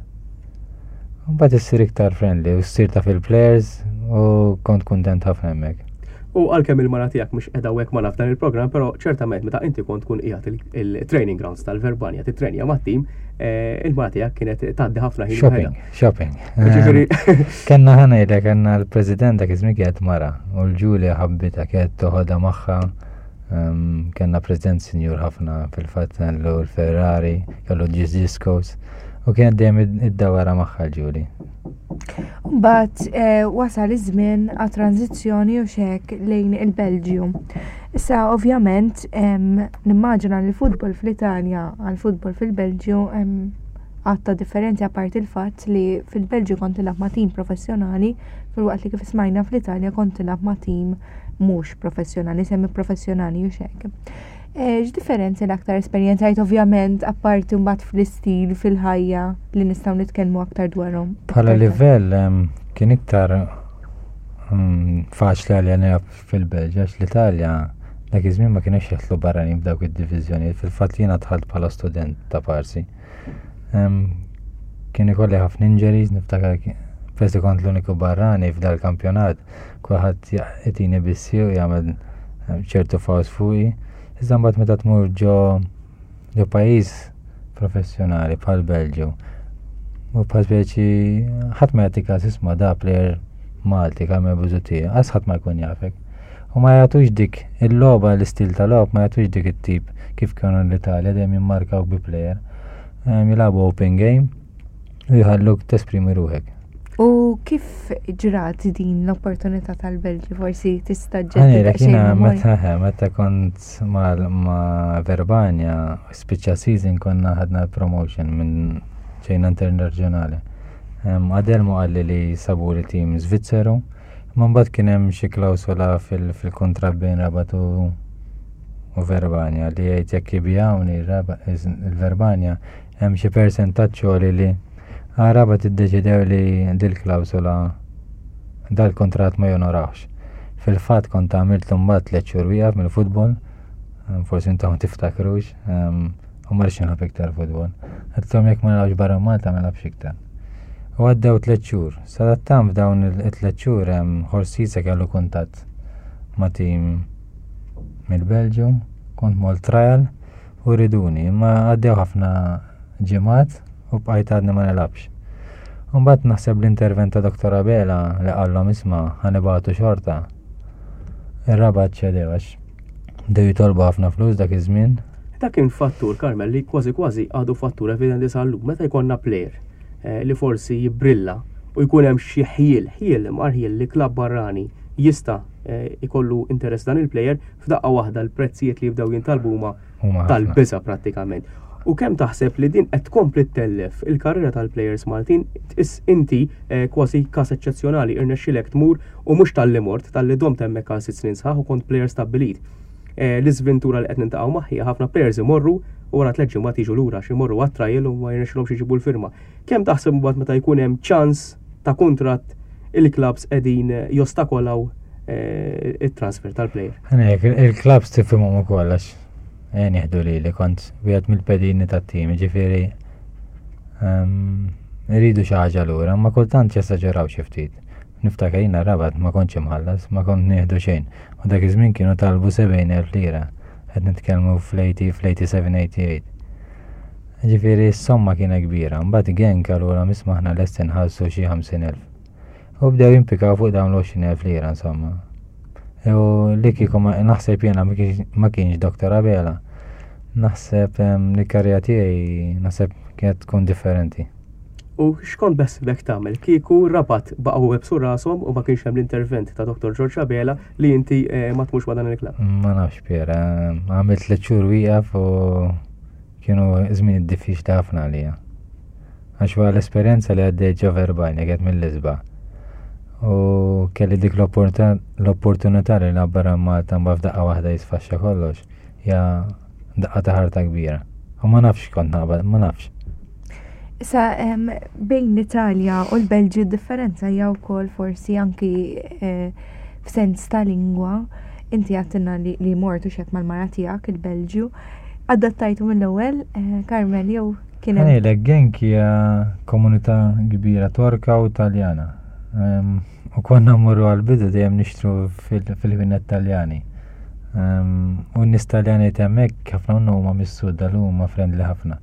Mbagħad issir iktar friendly u ssir taf il-players u kont kuntent ħafna hemmhekk. U għalkemm il-mara tiegħek mhux qiegħda hawnhekk magħna f'dan il-programm, però ċertament meta inti kont tkun qiegħed il-training grounds tal-Verbania titrenja mat-tim, eh, il-mara tiegħek kienet tgħaddi ħafna ħin. Shopping, shopping. Ġifieri Kenna ħanejlek kenna l-president dak iż-żmien kienet mara u l-Ġulja ħabbitha kienet toħodha magħha Kenna president sinjur ħafna fil-fatt kellu l-Ferrari, kellu discos u kienet dejjem id-dawara magħha l-Ġuli. Mbagħad eh, wasal iż-żmien għat-tranzizzjoni u xek lejn il-Belġju. Issa ovvjament nimmaġina li l-futbol fl-Italja għal futbol fil-Belġju għatta differenti apparti il-fatt li fil-Belġju kont tilgħab ma' tim professjonali filwaqt li kif smajna fl-Italja kont tilgħab ma' tim mhux professjonali, semi professjonali u xek. Eh, x'differenzi l-aktar esperjenzajt ovvjament apparti mbagħad fl-istil fil-ħajja li nistgħu nitkellmu aktar dwarhom? Bħala livell kien iktar mm, faċli għalja nilgħab fil-Belġja għax l-Italja dak iż-żmien ma kienx jaħtlu barranin f'dawk id-diviżjonijiet, fil-fatt jiena dħalt bħala student ta' parsi. Kien ikolli ħafna injuries, niftakar persi kont l-uniku barrani f'dal-kampjonat kulħadd jitini bissi u jagħmel eh, ċertu fawz fuqi. Iżda mbagħad meta tmur ġo ġo pajjiż professjonali bħal Belġju u bħal speċi ħadd ma jagħti każ isma' da player Malti Carmel Busuttil, għas ħadd ma jkun jafek. U ma jagħtux dik il-logħba l-istil ta' logħob ma jagħtux dik it-tip kif kienu l-Italja dejjem jimmarkaw bi player. Eh, jilagħbu open game u jħalluk tesprimi ruħek. U kif ġrat din l-opportunità tal-Belġju forsi tista' ġġedded Jiena meta meta kont ma' Verbania spiċċa season konna ħadna promotion minn ġejna internazzjonali. Adelmo qalli li sabu li tim Svizzeru, imma mbagħad kien hemm xi klawsola fil-kuntratt bejn Rabat u Verbania li jgħid jekk ibijawni il-Verbania Hemm xi persentaġġ għoli li Rabat iddeċidew li dil-klawsola dal-kuntratt ma jonorawx. Fil-fatt kont għamilt mbagħad tliet xhur wieqaf mill-futbol, forsi intom ma tiftakrux, u ma rridx nilgħab iktar futbol. Għedtlhom jekk ma nilgħabx barra Malta ma nilgħabx iktar. U għaddew tliet xhur. Sadattant f'dawn it-tliet xhur Horst kellu kuntatt ma' tim mill-Belġju, kont mort trial, u riduni, imma għaddew ħafna ġimgħat u bqajt għadni ma nilgħabx. Mbagħad naħseb l-intervent ta' Dr. Abela li qallhom isma' ħanibatu xorta. Ir-Rabat ċedew għax bdew jitolbu ħafna flus dak iż-żmien. Dak kien fattur, Carmel, li kważi kważi għadu fattur evidenti sal-lum. Meta jkollna plejer eh, li forsi jibbrilla u jkun hemm xi ħjiel, ħjiel imqar ħjiel li klabb barrani jista' eh, ikollu interess dan il-plejer, F'daqqa waħda l-prezzijiet li jibdew jintalbu huma tal-biża' prattikament. U kemm taħseb li din qed tkompli ttellef il-karriera tal-plejers Maltin? Tqis inti eh, kważi każ eċċezzjonali irnexxilek tmur u mhux talli mort, talli domt hemmhekk għal sitt snin sħaħ u kont plejer stabbilit. Eh, l-iżventura li qed nintaqgħu magħha ħafna plejers imorru u wara tliet ġimgħat jiġu lura xi jmorru għat-trial u ma jirnexxilhomx iġibu l-firma. Kemm taħseb mbagħad meta jkun hemm ċans ta' kuntratt il-klabs qegħdin jostakolaw eh, it-transfer tal-player? Il-klabs tifhimhom ukoll għax eh, nieħdu li li kont wieħed mill-pedini tat-tim, ġifieri ehm, iridu xi ħaġa lura, ma kultant jesaġeraw xi ftit. Niftakar jiena Rabat ma kontx imħallas, ma kont nieħdu xejn. U dak iż-żmien kienu talbu 70,000 lira. Qed nitkellmu fl-80, fl-87, 88. Ġifieri s-somma kienet kbira. Mbagħad Genk qalulhom isma' aħna lesti nħallsu xi 50,000. U bdew jimpikaw fuq dawn l-20,000 lira insomma. U li kieku naħseb jiena ma kienx Dr. Abela. Naħseb li karriera tiegħi naħseb kienet tkun differenti. U x'kont beħsibek tagħmel kieku Rabat baqgħu websu rashom u ma kienx hemm l-intervent ta' Dr. George Abela li inti eh, ma tmux ma' dan il-klabb? Ma nafx Piera, għamilt tliet xhur wieqaf u kienu żmien diffiċli ħafna għalija. Għax wara l-esperjenza li għaddejt ġo verbajn li kienet mill-isba. U kelli dik l-opportunità li nabbarra Malta mbagħad f'daqqa waħda jisfaxxa kollox. Ja daqqa ta' ħarta kbira. U ma nafx kont naqbad, ma nafx. Issa bejn l-Italja u l-Belġju differenza hija wkoll forsi anki eh, f'sens ta' lingwa. Inti għattinna li, li mortu xek mal-mara tiegħek il-Belġju. Adattajtu mill-ewwel, eh, Carmel, jew kien hemm. Ngħidlek Genk hija komunità kbira Torka u Taljana. U konna mmorru għal-bidu dejjem nixtru fil-ħwienet Taljani. U n-nies Taljani hemmhekk ħafna minnhom huma mis-sud dal huma friendly ħafna.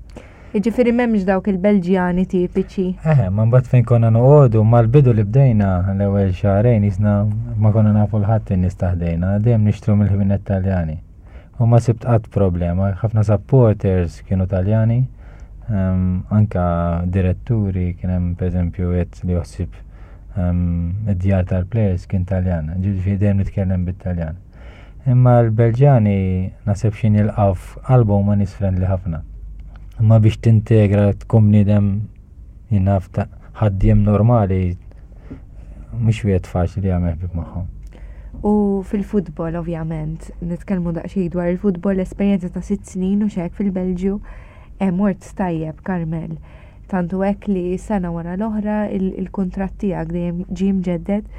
Jiġifieri m'hemmx dawk il-Belġjani tipiċi. Eħe, ma mbagħad fejn konna noqogħdu mal-bidu li bdejna l-ewwel xahrejn jisna ma konna nafu l-ħadd in-nies taħdejna, dejjem nixtru mill-ħwienet Taljani. U ma sibt qatt problema, ħafna supporters kienu Taljani, ehm, anka diretturi kien hemm pereżempju qed li joħsib ehm, id-djar tal-players kien Taljan, ġifieri dejjem nitkellem bit-Taljan. Imma l-Belġjani naħseb xi nilqgħu f'qalbhom huma nies friendly ħafna. Imma biex tintegra tkun bniedem jien naf ta' ħaddiem normali mhux wieħed faċli jagħmel ħbieb magħhom. U fil-futbol, ovvjament, nitkellmu daqsxejn dwar il-futbol, l-esperjenza ta' sitt snin u xek fil-Belġju, eh, mort tajjeb, Carmel. Tant hu hekk li sena wara l-oħra il-kuntratt tiegħek dejjem ġie mġedded.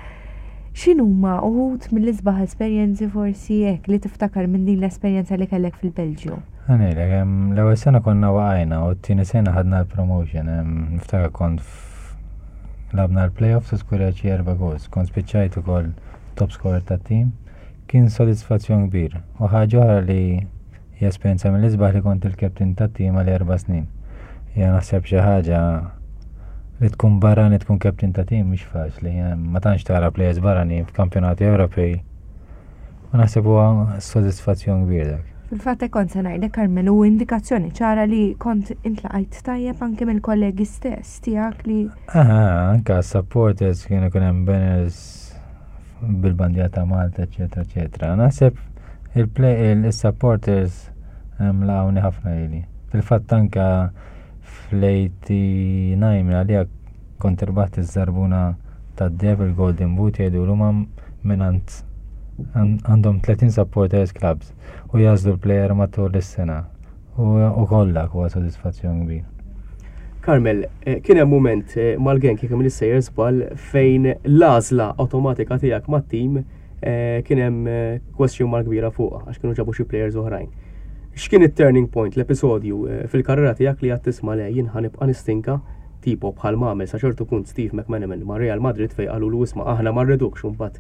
X'inhuma uħud mill-isbaħ esperjenzi forsi hekk li tiftakar minn din l-esperjenza li kellek fil-Belġju? Ngħidlek, l-ewwel sena konna waqajna u t-tieni sena ħadna l-promotion. Niftakar kont labna l-playoffs u skurjajt xi erba' goals. Kont spiċċajt ukoll top scorer tat-tim. Kien sodisfazzjon kbir. U ħaġa oħra li Hija esperjenza mill-isbaħ li kont il-captain tat-tim għal erba' snin. Hija naħseb xi ħaġa li tkun barrani tkun captain ta' tim mhix faċli, eh, ma tantx tara players barranin f'kampjonati Ewropej. U naħseb huwa sodisfazzjon kbir dak. Fil-fatt hekk kont se ngħidlek Carmel u indikazzjoni ċara li kont intlaqajt tajjeb anke mill-kollegi stess tiegħek li. Aha, anke supporters kienu kien hemm banners bil-bandiera ta' Malta, eċetera, eċetera. Naħseb il-supporters laqgħuni ħafna lili. Fil-fatt anka fl-89 minn għalija kont irbaħt iż-żarbuna tad-deb il-Golden Boot jgħidu l minant għandhom 30 supporters clubs u jażlu l-player matul is-sena. U kollha huwa sodisfazzjon kbir. Carmel, eh, kien hemm mument eh, mal-genk jekk minn sejjer żball fejn l-għażla awtomatika tiegħek mat-tim eh, kien hemm question mark kbira fuqha għax kienu ġabu xi players oħrajn. X'kien it-turning point, l-episodju fil-karriera tiegħek li għad tisma' le jien ħanibqa' nistinka tipo bħal m'għamel sa ċertu punt Steve McManaman ma' Real Madrid fejn qalulu isma' aħna ma rridukx u mbagħad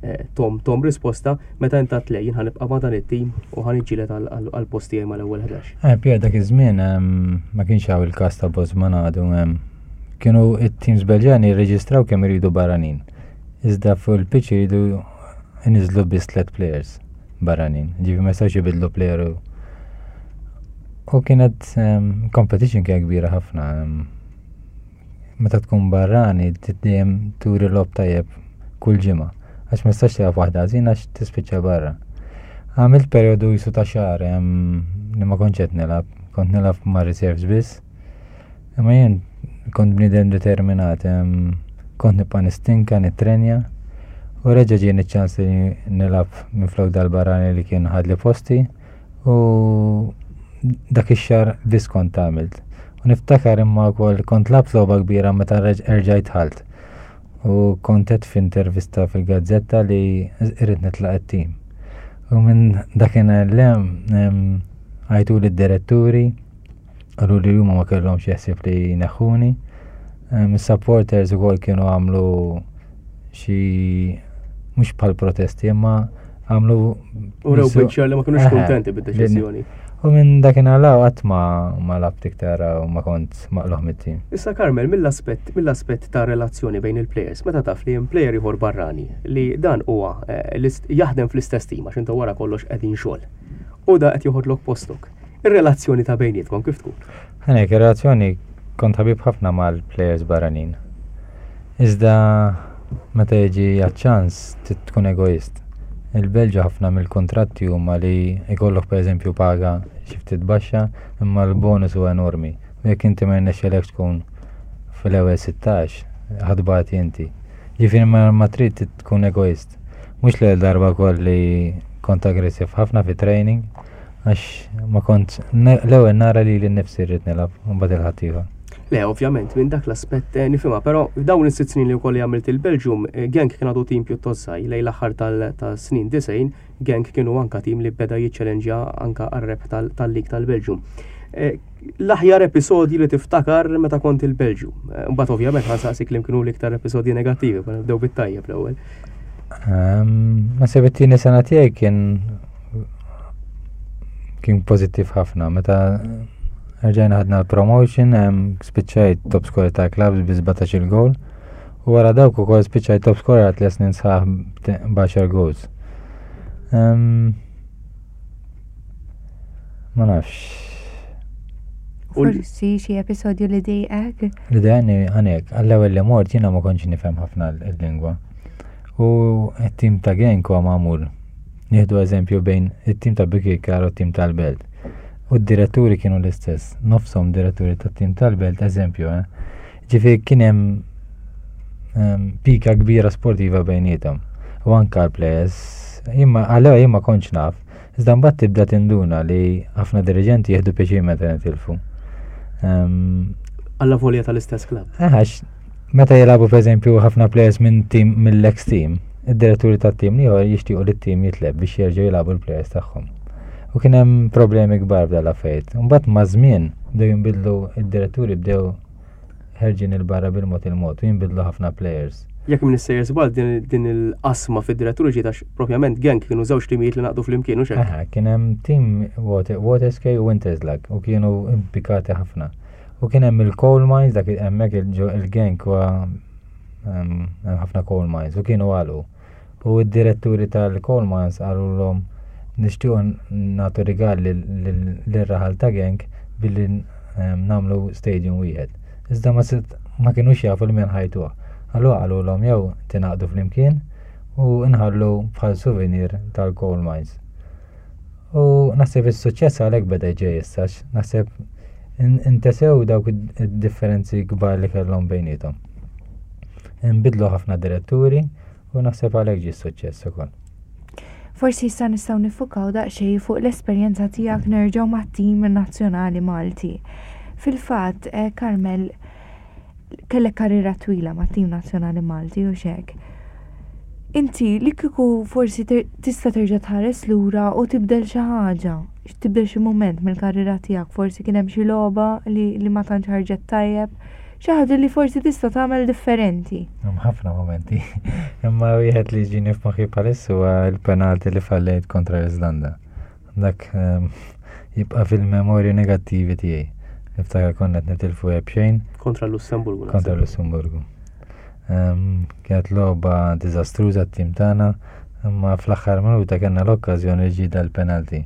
eh, tom tom risposta meta int għedt le jien ħanibqa' ma' dan it-tim u ħaniġġieled għall-post tiegħi mal-ewwel 11. Eh, Pier dak iż-żmien ma kienx hawn il-każ ta' Bosman għadu kienu it-teams Belġjani jirreġistraw kemm iridu barranin. Iżda fuq il-pitch iridu iniżlu biss tliet players barranin. Ġifi ma jistgħux jibidlu player u U kienet competition kien kbira ħafna. Meta tkun barrani, dejjem turi lob tajjeb kull ġimgħa. Għax ma tistax tilgħab waħda ħażin għax tispiċċa barra. Għamilt perjodu jisu ta' xahar li ma kontx qed nilgħab, kont nilgħab ma' reserves biss. Imma jien kont bniedem determinat, kont nibqa' nistinka, nittrenja. U reġa' ġieni ċ-ċans li nilgħab minflok dal-barrani li kien ħadli posti. U dak ix-xahar biss kont għamilt. U niftakar imma wkoll kont labt logħba kbira meta erġajt ħalt. U kont qed f'intervista fil-gazzetta li irrid nitlaq it-tim. U minn dakinhar l-hemm għajtu lid-diretturi Qalu li huma ma kellhomx jeħsib li jneħħuni. Is-supporters ukoll kienu għamlu xi mhux bħal protesti imma għamlu U rew biċċa li ma kinux kuntenti bid-deċiżjoni. U minn dakinhar 'l hawn qatt ma ma labt iktar u ma kont maqlugħ mit-tim. Issa Carmel, mill-aspett mill-aspett ta' relazzjoni bejn il-plejers, meta taf li hemm plejer ieħor barrani li dan huwa eh, jaħdem fl-istess tim għax intom wara kollox qegħdin xogħol. U da qed joħodlok postok. Ir-relazzjoni ta' bejnietkom kif tkun? Ħanek, ir-relazzjoni kont ħabib ħafna mal-plejers barranin. Iżda meta jiġi għaċ-ċans trid tkun egoist. Il-Belġju ħafna mill-kuntratti huma li jkollok pereżempju paga xi ftit baxxa imma l-bonus huwa enormi. U jekk inti ma jirnexxilekx tkun fl-ewwel 16, ħa tbati inti. Ġifieri ma trid tkun egoist. Mhux l-ewwel darba wkoll li kont aggressiv ħafna fit-training għax ma kont l-ewwel nara lili nnifsi rrid nilgħab u mbagħad il-ħaddieħor. Le, ovvjament, minn dak l-aspett eh, nifhimha, però dawn is-sitt snin li wkoll għamilt il-Belġium, eh, Genk kien għadu tim pjuttost żgħir, lejn l-aħħar tas-snin 90, Genk kienu anka tim li beda jiċċelenġja anka għar-rebħ tal-lig tal-Belġium. Eh, l-aħjar episodji li tiftakar meta kont il-Belġju. Mbagħad ovvjament ħansaqsik li kienu l-iktar episodji negattivi, ma nibdew bit-tajjeb l-ewwel. Ehm, naħseb it-tieni sena tiegħi kien kien pożittiv ħafna meta Rġajna ħadna l-promotion, spiċċajt top scorer ta' clubs bi 17 il-goal. U wara dawk ukoll spiċċajt top scorer għal tliet snin sħaħ b'10 goals. Ma nafx. Forsi xi episodju li dejqek? Li dejqni għanek, għall-ewwel li mort jiena ma kontx nifhem ħafna l-lingwa. U t-tim ta' Genk huwa magħmul Nieħdu eżempju bejn it-tim ta' Birkirkara u t-tim tal-Belt. U d-diretturi kienu l-istess, nofshom diretturi tat-tim tal-Belt, eżempju, eh. Ġifieri kien hemm ehm, pika kbira sportiva bejnietom. U anka l-players, imma għalhekk jien ma kontx naf, iżda mbagħad tibda tinduna li ħafna diriġenti jieħdu pjaċir meta nitilfu. Ehm, Alla volja tal-istess klabb. Eh, għax Meta jilagħbu pereżempju ħafna players minn tim mill-ex team, id-diretturi tat-tim l-ieħor jixtiequ li t-tim jitleb biex jerġgħu jilagħbu l-players tagħhom. U kien hemm problemi kbar b'dan l-affarijiet. Imbagħad maż-żmien bdew jinbidlu id-diretturi bdew ħerġin il-barra bil-mod il-mod u jinbidlu ħafna players. Jekk minn sejjer żball din il-qasma fid-diretturi ġiet għax propjament Genk kienu żewġ timijiet li naqdu flimkien u xejn. Kien hemm tim Waterskei u Winterslag u kienu impikati ħafna. U kien hemm il-coal mines, dak hemmhekk il-Genk huwa hemm ħafna coal mines u kienu għalqu. U d-diretturi tal-coal mines qalulhom nixtiequ nagħtu rigal lir-raħal ta' Genk billi nagħmlu stadium wieħed. Iżda ma ma kinux jafu lil min ħajtuha. Allura qalulhom jew tingħaqdu flimkien u nħallu bħal souvenir tal-coal mines. U naħseb is-suċċess għalhekk beda ġej issa, naħseb intesew dawk id-differenzi kbar li kellhom bejniethom. Inbidlu ħafna diretturi u naħseb għalhekk ġie s-suċċess ukoll. Forsi issa nistgħu nifukaw daqsxejn fuq l-esperjenza tiegħek nerġgħu mat-tim nazzjonali Malti. Fil-fatt, eh, Carmel, kellek karriera twila mat-tim nazzjonali Malti u xek. Inti li kieku forsi tista' terġa' tħares lura u tibdel xi ħaġa, tibdel xi mument mill-karriera tiegħek, forsi kien hemm xi logħba li, li ma tantx ħarġet tajjeb, xi ħaġa li forsi tista' tagħmel differenti. Hemm ħafna momenti. Imma wieħed li ġini f'moħħi bħalissa huwa l-penalti li fallejt kontra l-Iżlanda. Dak ehm, jibqa' fil-memorji negattivi tiegħi. Niftakar konna qed nitilfu b'xejn. Kontra l-Lussemburgu. Kontra l-Lussemburgu. Ehm, kienet logħba diżastruża t-tim tagħna, imma fl-aħħar minuta kellna l-okkażjoni li ġie dal-penalti.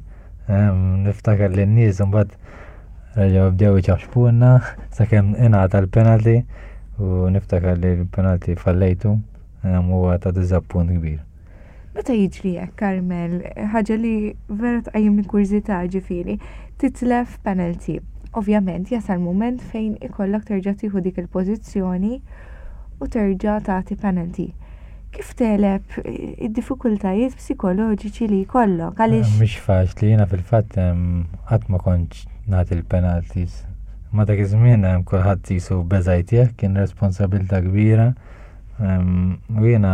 Ehm, niftakar li n-nies imbagħad reġgħu bdew iċaxxpulna sakemm ingħata l-penalti u niftakar li l-penalti fallejtu huwa ta' diżappunt kbir. Meta jiġri hekk, Carmel, ħaġa li vera tqajjimni kurżità ġifieri, titlef penalty. Ovvjament jasal mument fejn ikollok terġa' tieħu dik il-pożizzjoni u terġa' tagħti penalty. Kif tegħleb id-diffikultajiet psikoloġiċi li jkollok? Għaliex Mhix faċli, jiena fil-fatt qatt ma kontx nagħti l-penalties. Ma dak iż-żmien kulħadd qisu beża' jtih, kien responsabilità kbira. U jiena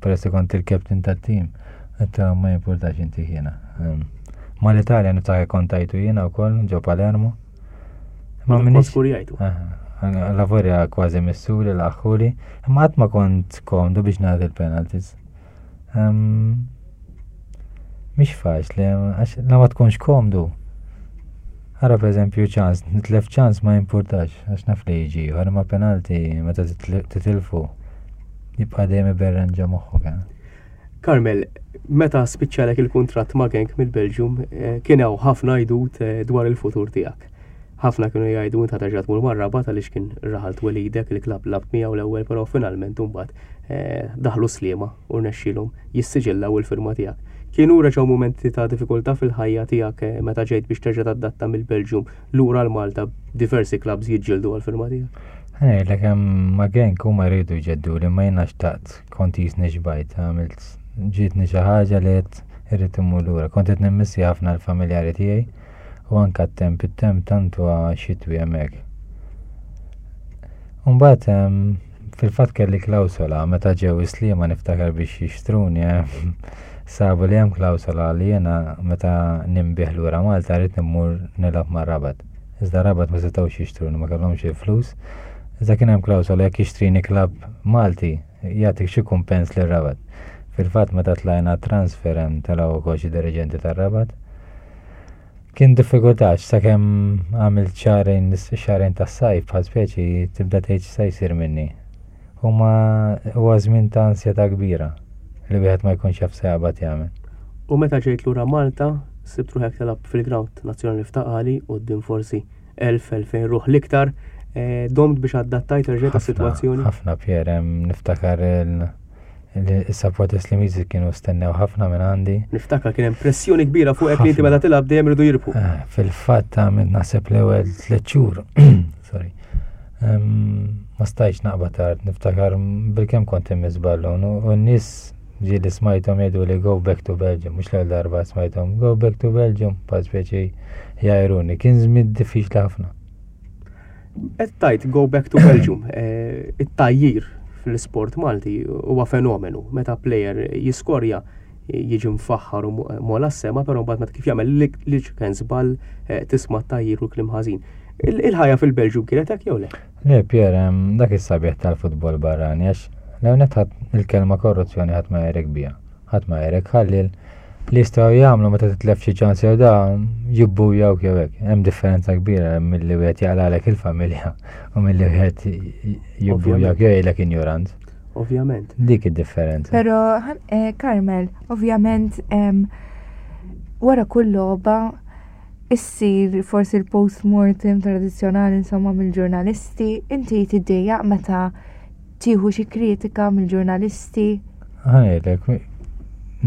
peress li kont il-captain tat-tim, għedt ma jimpurtax inti jiena. Mal-Italja niftakar kont tajtu jiena wkoll ġo Palermo. Ma minix. Skurjajtu. Lavorja kważi missuri l-aħħuri, imma qatt ma kont komdu biex nagħti l-penalties. Mhix faċli, għax la ma tkunx komdu. Ara pereżempju ċans, nitlef ċans ma jimpurtax għax naf li jiġi ieħor, imma penalti meta titilfu jibqa' dejjem iberren ġo moħħok. Eh. Carmel, meta spiċċalek il-kuntratt ma' Genk mill-Belġium, eh, kien hawn ħafna għidut eh, dwar il-futur tiegħek. Ħafna kienu jgħidu int terġa' tmur mar-Rabat għaliex kien raħal twelidek il-klabb lab miegħu l-ewwel, però finalment imbagħad eh, daħlu Sliema u rnexxielhom jissiġillaw il-firma tiegħek. Kienu reġgħu mumenti ta' diffikultà fil-ħajja tiegħek eh, meta ġejt biex terġa' tadatta mill-Belġium lura l-Malta diversi klabbs jiġġieldu għall-firma tiegħek? Ngħidlek hemm ma' Genk huma jridu jġeddu li ma jiena xtaqt kont jisni xbajt għamilt ġietni xi ħaġa li qed irrid immur lura. Kont qed nimmissi ħafna l-familjari tiegħi u anke t-temp, it-temp tant huwa xitwi hemmhekk. Umbagħad fil-fatt kelli klawsola meta ġew is-Sliema niftakar biex jixtruni sabu li hemm klawsola li jiena meta ninbigħ lura Malta rrid immur nilgħab mar-Rabat. Iżda Rabat ma setgħux jixtruni ma kellhomx il-flus. Iżda kien hemm klawsola jekk jixtrini klabb Malti jagħtik xi kumpens lir-Rabat. Fil-fatt meta tlajna transfer hemm telgħu wkoll xi diriġenti tar-Rabat. Kien diffikultà għax sakemm għamilt xahrejn xahrejn tas-sajf bħal speċi tibda tgħid x'sa jsir minni. Huma huwa żmien ta' ansjetà kbira li wieħed ma jkunx jaf se jaqbad jagħmel. U meta ġejt lura Malta, sibt ruħek tilgħab fil-grawnd nazzjonali f'Ta' Qali quddiem forsi 1000-2000 ruħ l-iktar. Eh, domt biex adattajt erġajt għas-sitwazzjoni? Ħafna Pier, niftakar il Is-supporters Slimiżi kienu stennew ħafna minn għandi. Niftakar kien hemm pressjoni kbira fuqek li inti meta tilgħab dejjem iridu jirbħu. Eh, fil-fatt għamilt naħseb l-ewwel tliet xhur. Sorry. Ma stajtx naqbad tard, niftakar bilkemm kont immiss ballun u n-nies ġieli smajthom jgħidu li go back to Belgium, mhux l-ewwel darba smajthom go back to Belgium, bħal speċi jgħajruni. Kien żmien diffiċli ħafna. Qed tgħid go back to Belgium, eh, it-tajjir fl-isport Malti huwa fenomenu. Meta player jiskorja jiġi mfaħħar u mola s-sema, però mbagħad meta kif jagħmel li kien żball eh, tisma' tajjir u kliem ħażin. Il-ħajja fil-Belġju kienet hekk jew le? Le Pier, dak is-sabiħ tal-futbol barrani għax l-ewwel il-kelma korruzzjoni ħadd ma jerek biha. Ħadd ma jgħirek ħalli li jistgħu jagħmlu meta titlef xi ċans jew da jibbujawk jew hekk. Hemm differenza kbira milli wieħed jaqlalek il-familja u milli wieħed jibbujawk jew jgħidlek injurant. Ovvjament. Dik id-differenza. Però eh, Carmel, ovvjament wara kull logħba issir forsi l-post-mortem tradizzjonali insomma mill-ġurnalisti, inti tiddejjaq meta tieħu xi kritika mill-ġurnalisti? Ħanejlek,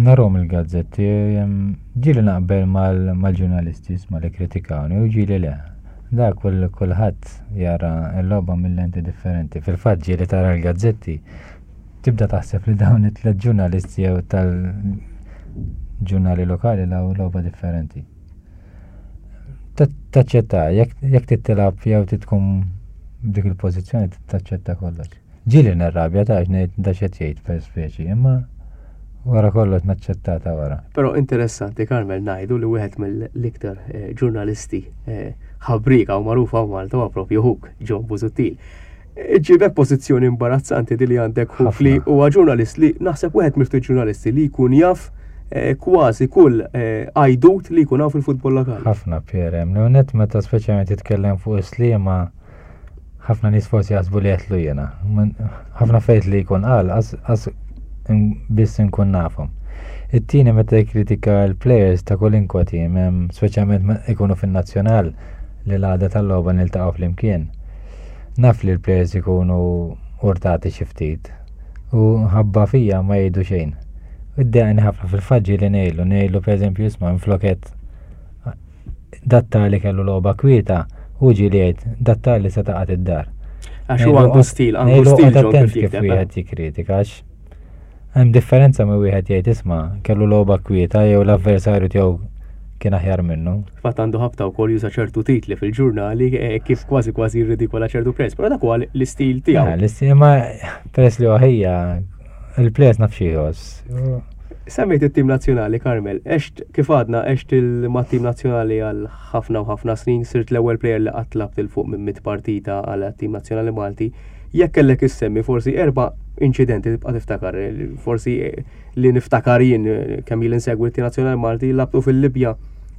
narhom il-gazzetti, ġieli naqbel mal-ġurnalisti isma' li kritikawni u ġieli le. Da kull kulħadd jara l-logħba mill-lenti differenti. Fil-fatt ġieli tara l-gazzetti tibda taħseb li dawn it-tliet ġurnalisti jew tal-ġurnali lokali law logħba differenti. Taċċetta, jekk tittilab jew titkun dik il-pożizzjoni taċċetta kollox. Ġieli nirrabja ta' ngħid da xed jgħid per speċi, imma wara kollox naċċetta ta' wara. Però interessanti Carmel ngħidu li wieħed mill-iktar eh, ġurnalisti eh, ħabrika u magħrufa Malta huwa propju ħuk John Busuttil. Iġġibek pożizzjoni imbarazzanti di li għandek ħuk li huwa ġurnalist li naħseb wieħed mill-ftit ġurnalisti li jkun jaf eh, kważi kull eh, għajdut li jkun hawn fil-futbol lokali. Ħafna PRM, l-unet meta speċjalment jitkellem fuq is-sliema ħafna nies forsi jaħsbu li qed jiena. Ħafna fejt li jkun qal qas biss inkun nafhom. It-tieni meta jikkritika l-players ta' kulinkwa tim, speċjalment ikunu fin-nazzjonal li l-għada tal-logħba niltaqgħu flimkien. Naf li l-players ikunu urtati xi ftit u ħabba fija ma jgħidu xejn. Iddejjaqni ħafna fil-fatt ġieli ngħidlu, ngħidlu pereżempju isma' minflok dat-tali kellu logħba kwieta, hu ġieli jgħid dat-tali se taqgħod id-dar. Għax hu għandu stil, għandu stil attent kif wieħed jikkritika għax Hemm differenza ma wieħed jgħid isma' kellu logħba kwieta jew l-avversarju tiegħu kien aħjar minnu. Fatt għandu ħabta wkoll juża ċertu titli fil-ġurnali eh, kif kważi kważi jirridikola ċertu players, però dak huwa l-istil tiegħu. Eh, l-istil ma peress li ħija il-players naf xi jħoss. Semmejt it-tim nazzjonali, Carmel, għext kif għadna għext mat-tim nazzjonali għal ħafna u ħafna snin, sirt l-ewwel player li qatt labt il fuq minn mit partita għal tim nazzjonali Malti. Jekk kellek issemmi forsi erba' inċidenti tibqa' tiftakar, forsi li niftakar jien kemm ili nsegwi t-tim nazzjonali Malti labtu fil-Libja.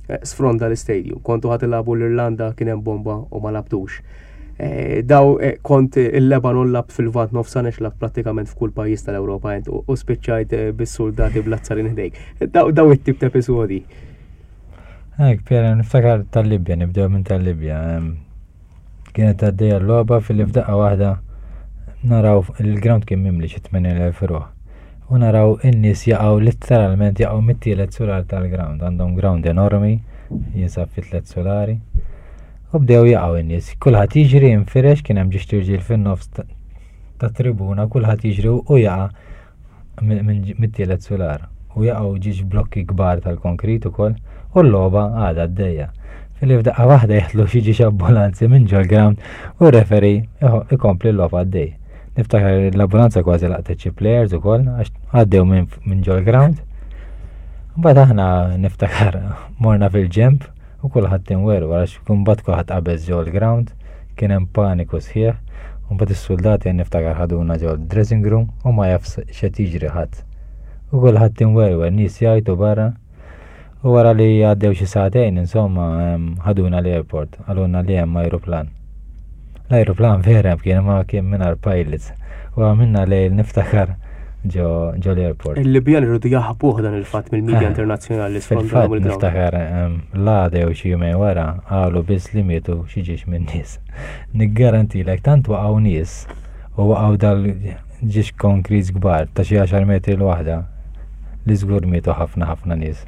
eh, sfronda l-istadium. Kontu ħa tilagħbu l-Irlanda kien hemm bomba u ma labtux. Eh, daw eh, kont il-Lebanon lab fil-Lvant Nofsani lab prattikament f'kull pajjiż tal-Ewropa int u spiċċajt bis-soldati bl-azzarin ħdejk. Daw it-tip ta' episodi. Hekk, Piera, niftakar tal-Libja, nibdew minn tal-Libja. Kienet għaddejja l-logħba fil f'daqqa waħda naraw il-ground kien mimli xi 8000 ruħ. U naraw in-nies jaqgħu letteralment jaqgħu mit-tielet sular tal-ground. Għandhom ground enormi, jinsab fi tliet sulari. U bdew jaqgħu in-nies. Kulħadd jiġri infirex kien hemm ġiex tirġiel fin-nofs ta' tribuna, kulħadd jiġri u jaqa' mit-tielet sular u jaqgħu ġiex blokki kbar tal-konkrit ukoll u l-logħba għadha għaddejja. Filli f'daqqa waħda jeħlu xi ġiex ambulanzi minn ġol-ground u r-referee ikompli l-logħba għaddej. Niftakar l-ambulanza kważi laqtet xi players ukoll għax għaddew minn ġol-ground. Mbagħad aħna niftakar morna fil-ġemp U kulħadd inwerwer għax imbagħad kulħadd qabeż ġol-ground, kien hemm paniku sħiħ, u mbagħad is-suldati għan niftakar ħaduna ġol-dressing room u ma jaf x'qed jiġri ħadd. U kulħadd inwerwer, nies jgħajtu barra. U wara li għaddew xi sagħtejn, insomma, ħaduna l-airport, qalulna li hemm ajruplan. L-ajruplan vera kien ma kien mingħajr pilots. U għamilna lejl niftakar ġo l-airport. Il-Libjan irridu jaħbuh dan il-fatt mill-medja eh, internazzjonali sfrondaw il Niftakar l-għada jew xi jumejn wara qalu biss li mietu xi ġiex minn nies. Niggarantilek tant waqgħu nies u waqgħu dal ġiex konkrit kbar ta' xi 10 metri l-waħda li żgur mietu ħafna ħafna nies.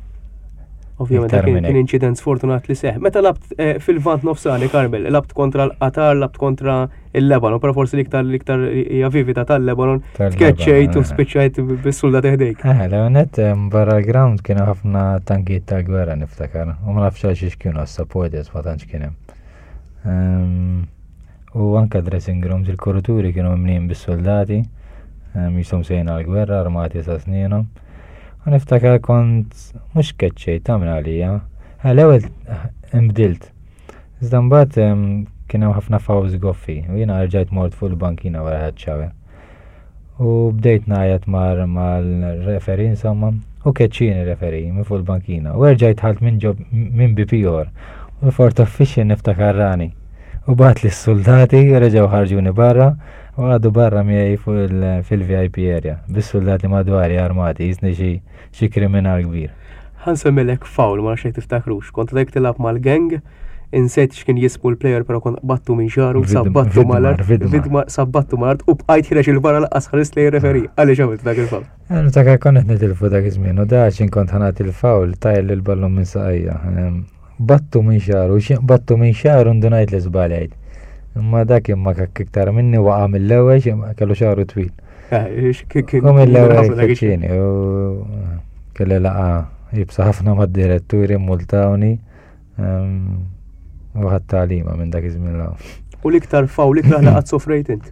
Ovvjament dak kien inċident sfortunat li seħ. Meta labt eh, fil-vant nofsani, Karmel, labt kontra l-Qatar, labt kontra il-Lebanon, però forsi l-iktar l-iktar hija vivida tal-Lebanon, tkeċċejt u eh. spiċċajt bis-suldat ħdejk. Eh, l-għonet eh, barra l-ground kienu ħafna tankijiet tal-gwerra niftakar, u ma nafx għal xiex kienu għas-supporters ma tantx kien hemm. Ehm, U anke dressing rooms, il-kuruturi kienu mimlijin bis-soldati, jisom sejna għal-gwerra, armati sa snienhom. U niftakar kont mhux keċċejt ta' minn għalija. Eh, l-ewwel imbdilt. Iżda mbagħad kien hemm ħafna fawz goffi u jiena rġajt mort fuq il-bankina wara ħadd U bdejt ngħajjat mar mal-referi insomma, u keċċieni referi minn fuq il-bankina. U erġajt ħalt minn ġob minn bieb ieħor. U l-fort official niftakar rani. U bagħat li s-soldati reġgħu ħarġuni barra u għadu barra miegħi fuq fil-VIP area bis-soldati madwari armati jisni xi xi kriminal kbir. Ħa nsemmilek foul, ma nafx jekk tiftakrux. Kont għadek tilgħab mal-gang, insejt x'kien jismu l-player però kont qbadtu minn xagħru, sabbattu mal-art, vidma sabbattu mal-art u bqajt ħireġ il-barra laqqas ħares lejn referi. Għaliex għamilt dak il-foul? Eh, niftakar kont qed nitilfu dak iż-żmien u da x'in kont ħanat il-foul tajl il-ballun minn saqajja. Ehm, battu minn xagħru, battu minn xagħru ndunajt li żbaljajt. Imma dak imma kakk iktar minni waqa' mill-ewwel kellu xagħru twil. Eh, U mill-ewwel keċċieni u kelli laqa jibsa ħafna mad-diretturi multawni ehm, u ħadd tagħlima minn dak iż-żmien l U l-iktar fawl ikrah li qatt sofrejt int?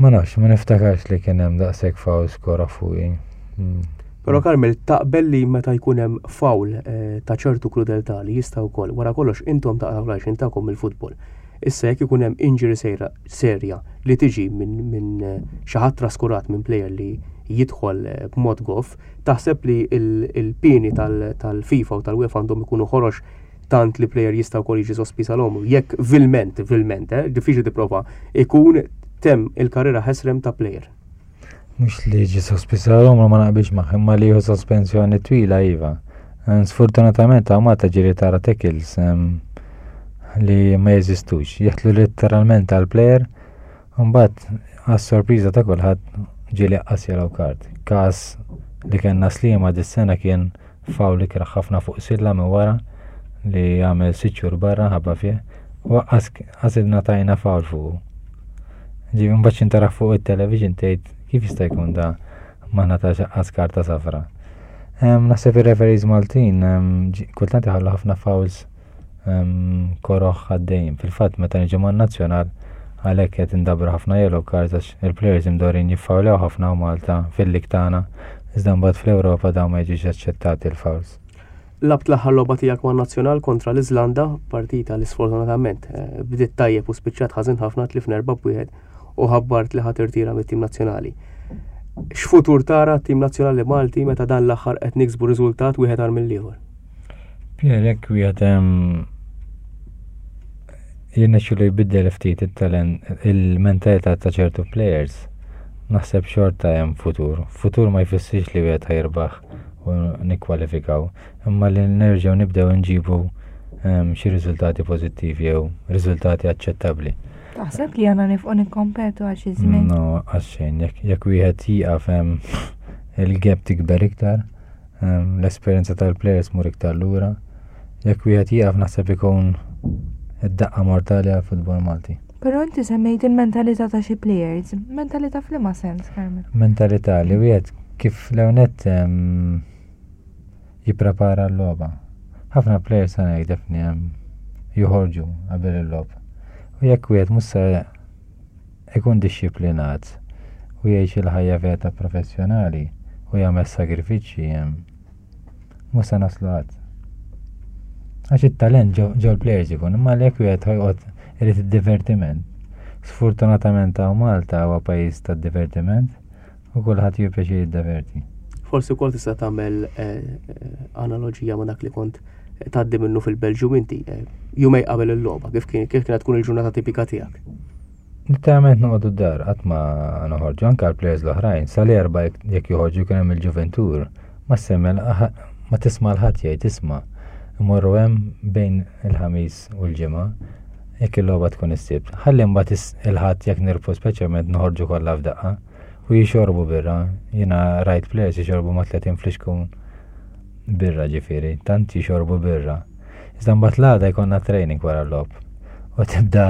Ma nafx, ma niftakarx li kien hemm daqshekk fawl skora fuqi. Hmm. Però Karmel, taqbel li meta jkun hemm fawl eh, ta' ċertu krudeltà li jista' wkoll wara kollox intom taqgħu l-għajxin tagħkom mill-futbol. Issa jekk ikun hemm injury sejra serja li tiġi minn min eh, xi ħadd traskurat minn player li jidħol eh, b'mod goff, taħseb li il-pieni tal-FIFA u tal-UEFA għandhom ikunu ħorox tant li player jista' wkoll jiġi sospiż għal għomru. Jekk vilment, vilment, eh, diffiċli tipprova, ikun temm il-karriera ħesrem ta' player. Mhux li jiġi sospiż għal għomru ma naqbilx magħha, imma li jieħu sospensjoni twila iva. Eh, sfortunatament hawn Malta ġieli tara tackles ehm, li ma jeżistux. Jeħtlu letteralment għal player, mbagħad għas-sorpriża ta' kulħadd ġieli qas yellow card. Każ li kellna Sliema dis-sena kien Foul ikrah ħafna fuq Silla minn wara li għamel sitt xhur barra ħabba fih u qas ingħatajna foul fuqu. Ġifieri mbagħad xi tara fuq it-television tgħid kif jista' jkun da ma ngħatax qas karta safra. Naħseb ir-referees Maltin kultant iħallu ħafna fouls koroħ għaddejjin. Fil-fatt meta niġu man-nazzjonal għalhekk qed indabru ħafna yellow cards għax il-players imdorin jiffawlew ħafna u Malta fil-lig tagħna iżda mbagħad fl-Ewropa dawn ma jiġux aċċettati l-fouls. Labt l-aħħar logħba tiegħek man-nazzjonal kontra l-Iżlanda, partita li sfortunatament eh, bdiet tajjeb u spiċċat ħażin ħafna tlifna 4-1 u ħabbart li ħa tirtira mit-tim nazzjonali. X'futur tara t-tim nazzjonali Malti meta dan l-aħħar qed niksbu riżultat wieħed agħar mill-ieħor? Pierre, jekk wieħed jirnexxilu jbiddel ftit it-talent, il-mentalità ta' ċertu players, naħseb xorta hemm futur. Futur ma jfissirx li wieħed ħajrbaħ u nikkwalifikaw, imma li nerġgħu nibdew nġibu xi riżultati pożittivi jew riżultati aċċettabbli. Taħseb li għandna nifqu nikkompetu għal xi żmien? No, għax xejn, jekk wieħed jieqaf il-gap tikber iktar, l-esperjenza tal-players mur iktar lura. Jekk wieħed jieqaf naħseb ikun id-daqqa mortali għal futbol Malti. Però inti semmejt il-mentalità ta' xi players. Mentalità f'liema sens, Carmel? Mentalità li wieħed kif l-ewnet jipprepara l-logħba. Ħafna players sa ngħid defni joħorġu qabel il-logħob. U jekk wieħed mhux se ikun dixxiplinat u jgħix il-ħajja vera ta' professjonali u jagħmel sagrifiċċji mhux se naslu qatt. Għax it-talent ġol players ikun, imma jekk wieħed ħajqgħod irid id-divertiment. Sfortunatament hawn Malta huwa pajjiż tad-divertiment u kulħadd jieħu pjaċir jiddeverti. Forsi wkoll tista' tagħmel eh, eh, analoġija ma' dak li kont tgħaddi minnu fil-Belġju inti eh, jumej qabel il-logħba, kif kien kif kienet tkun il-ġurnata tipika tiegħek? Literalment noqogħdu d-dar, qatt ma noħorġu anke għall-players l-oħrajn, sal-erba' jekk joħorġu kien hemm il-ġuventur, ma semmel ma tisma' l-ħadd jgħid isma' imorru hemm bejn il-ħamis u l-ġimgħa jekk il-logħba tkun is-sibt. Ħalli mbagħad il-ħadd jekk nirfu speċjalment noħorġu kollha f'daqqa u jixorbu birra. Jiena rajt players jixorbu ma' 30 flixkun birra ġifieri, tant jixorbu birra. Iżda mbagħad l-għada jkollna training wara l-logħob. U tibda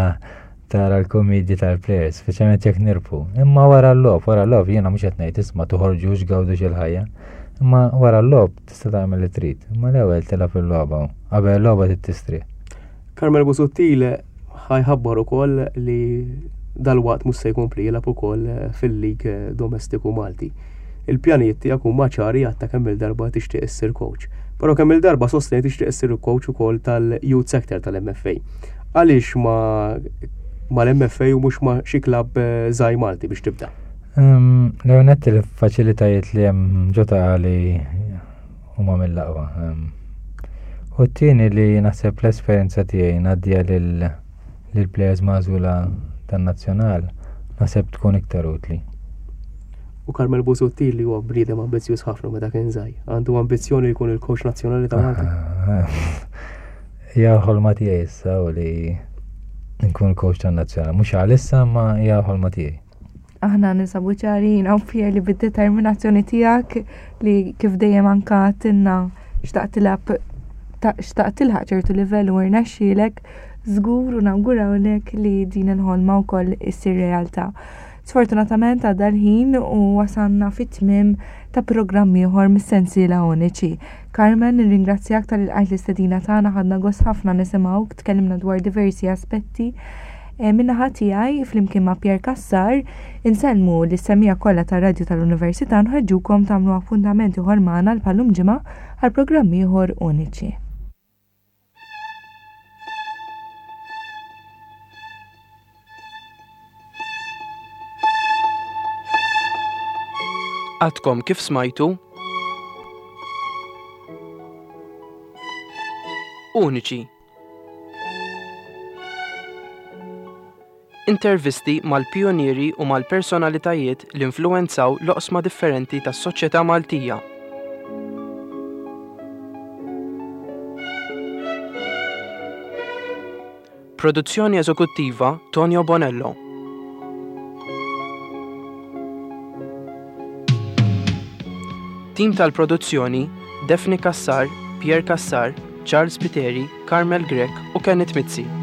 tara l-komedji tal-players, speċjalment jekk nirpu. Imma wara l-logħob, wara l-logħob jiena mhux qed ngħid isma' toħorġux gawdux il-ħajja. Imma wara l-logħob tista' tagħmel li trid. Imma l-ewwel tilgħab il-logħba. Qabel il-logħba trid tistrieħ. Carmel Busuttil ħajħabbar ukoll li dalwaqt mhux se jkompli jilgħab ukoll fil-lig domestiku Malti. Il-pjanijiet tiegħek huma ċari għadta kemm il-darba tixtieq issir coach. Però kemm il-darba sostnejt tixtieq issir coach ukoll tal-youth sector tal-MFA. Għaliex ma mal-MFA u mhux ma xi klabb eh, żgħir Malti biex tibda? L-ewwel il-faċilitajiet li hemm ġo ta' li huma mill-aqwa. U t-tieni li naħseb l-esperjenza tiegħi ngħaddiha lill-players magħżula tan-nazzjonal naħseb tkun iktar utli. U Carmel Busuttil li huwa bniedem ambizzjuż ħafna meta kien żgħir. Għandu ambizzjoni li jkun il-coach nazzjonali ta' Malta. Hija ħolma tiegħi issa u li nkun coach tan-nazzjonali. Mhux għalissa ma hija ħolma tiegħi. Aħna ninsabu ċari jiena u Pierre li bid-determinazzjoni tiegħek li kif dejjem anka tinna xtaqt tilgħab xtaqt tilħaq ċertu livell u rnexxielek, żgur u nawgurawlek li din il-ħolma wkoll issir realtà. Sfortunatament għadda l-ħin u wasalna fit-tmiem ta' programm ieħor mis-sensiela Uniċi. Carmen, nirringrazzjak talli lqajt l-istedina tagħna, ħadna gost ħafna nisimgħuk, tkellimna dwar diversi aspetti. E, Min-naħa tiegħi, flimkien ma' Pierre Cassar, insellmu lis-semmiegħa kollha tar-Radju tal-Università nħeġġukom tagħmlu appuntament ieħor magħna l-bħallum ġimgħa għal programm ieħor Uniċi. Għadkom kif smajtu Uniċi. Intervisti mal-pijunieri u mal-personalitajiet li influwenzaw l-oqsma differenti tas-soċjetà Maltija. Produzzjoni eżekuttiva Tonio Bonello. Tim tal-produzzjoni Daphne Cassar, Pierre Cassar, Charles Spiteri, Carmel Grech u Kenneth Mizzi.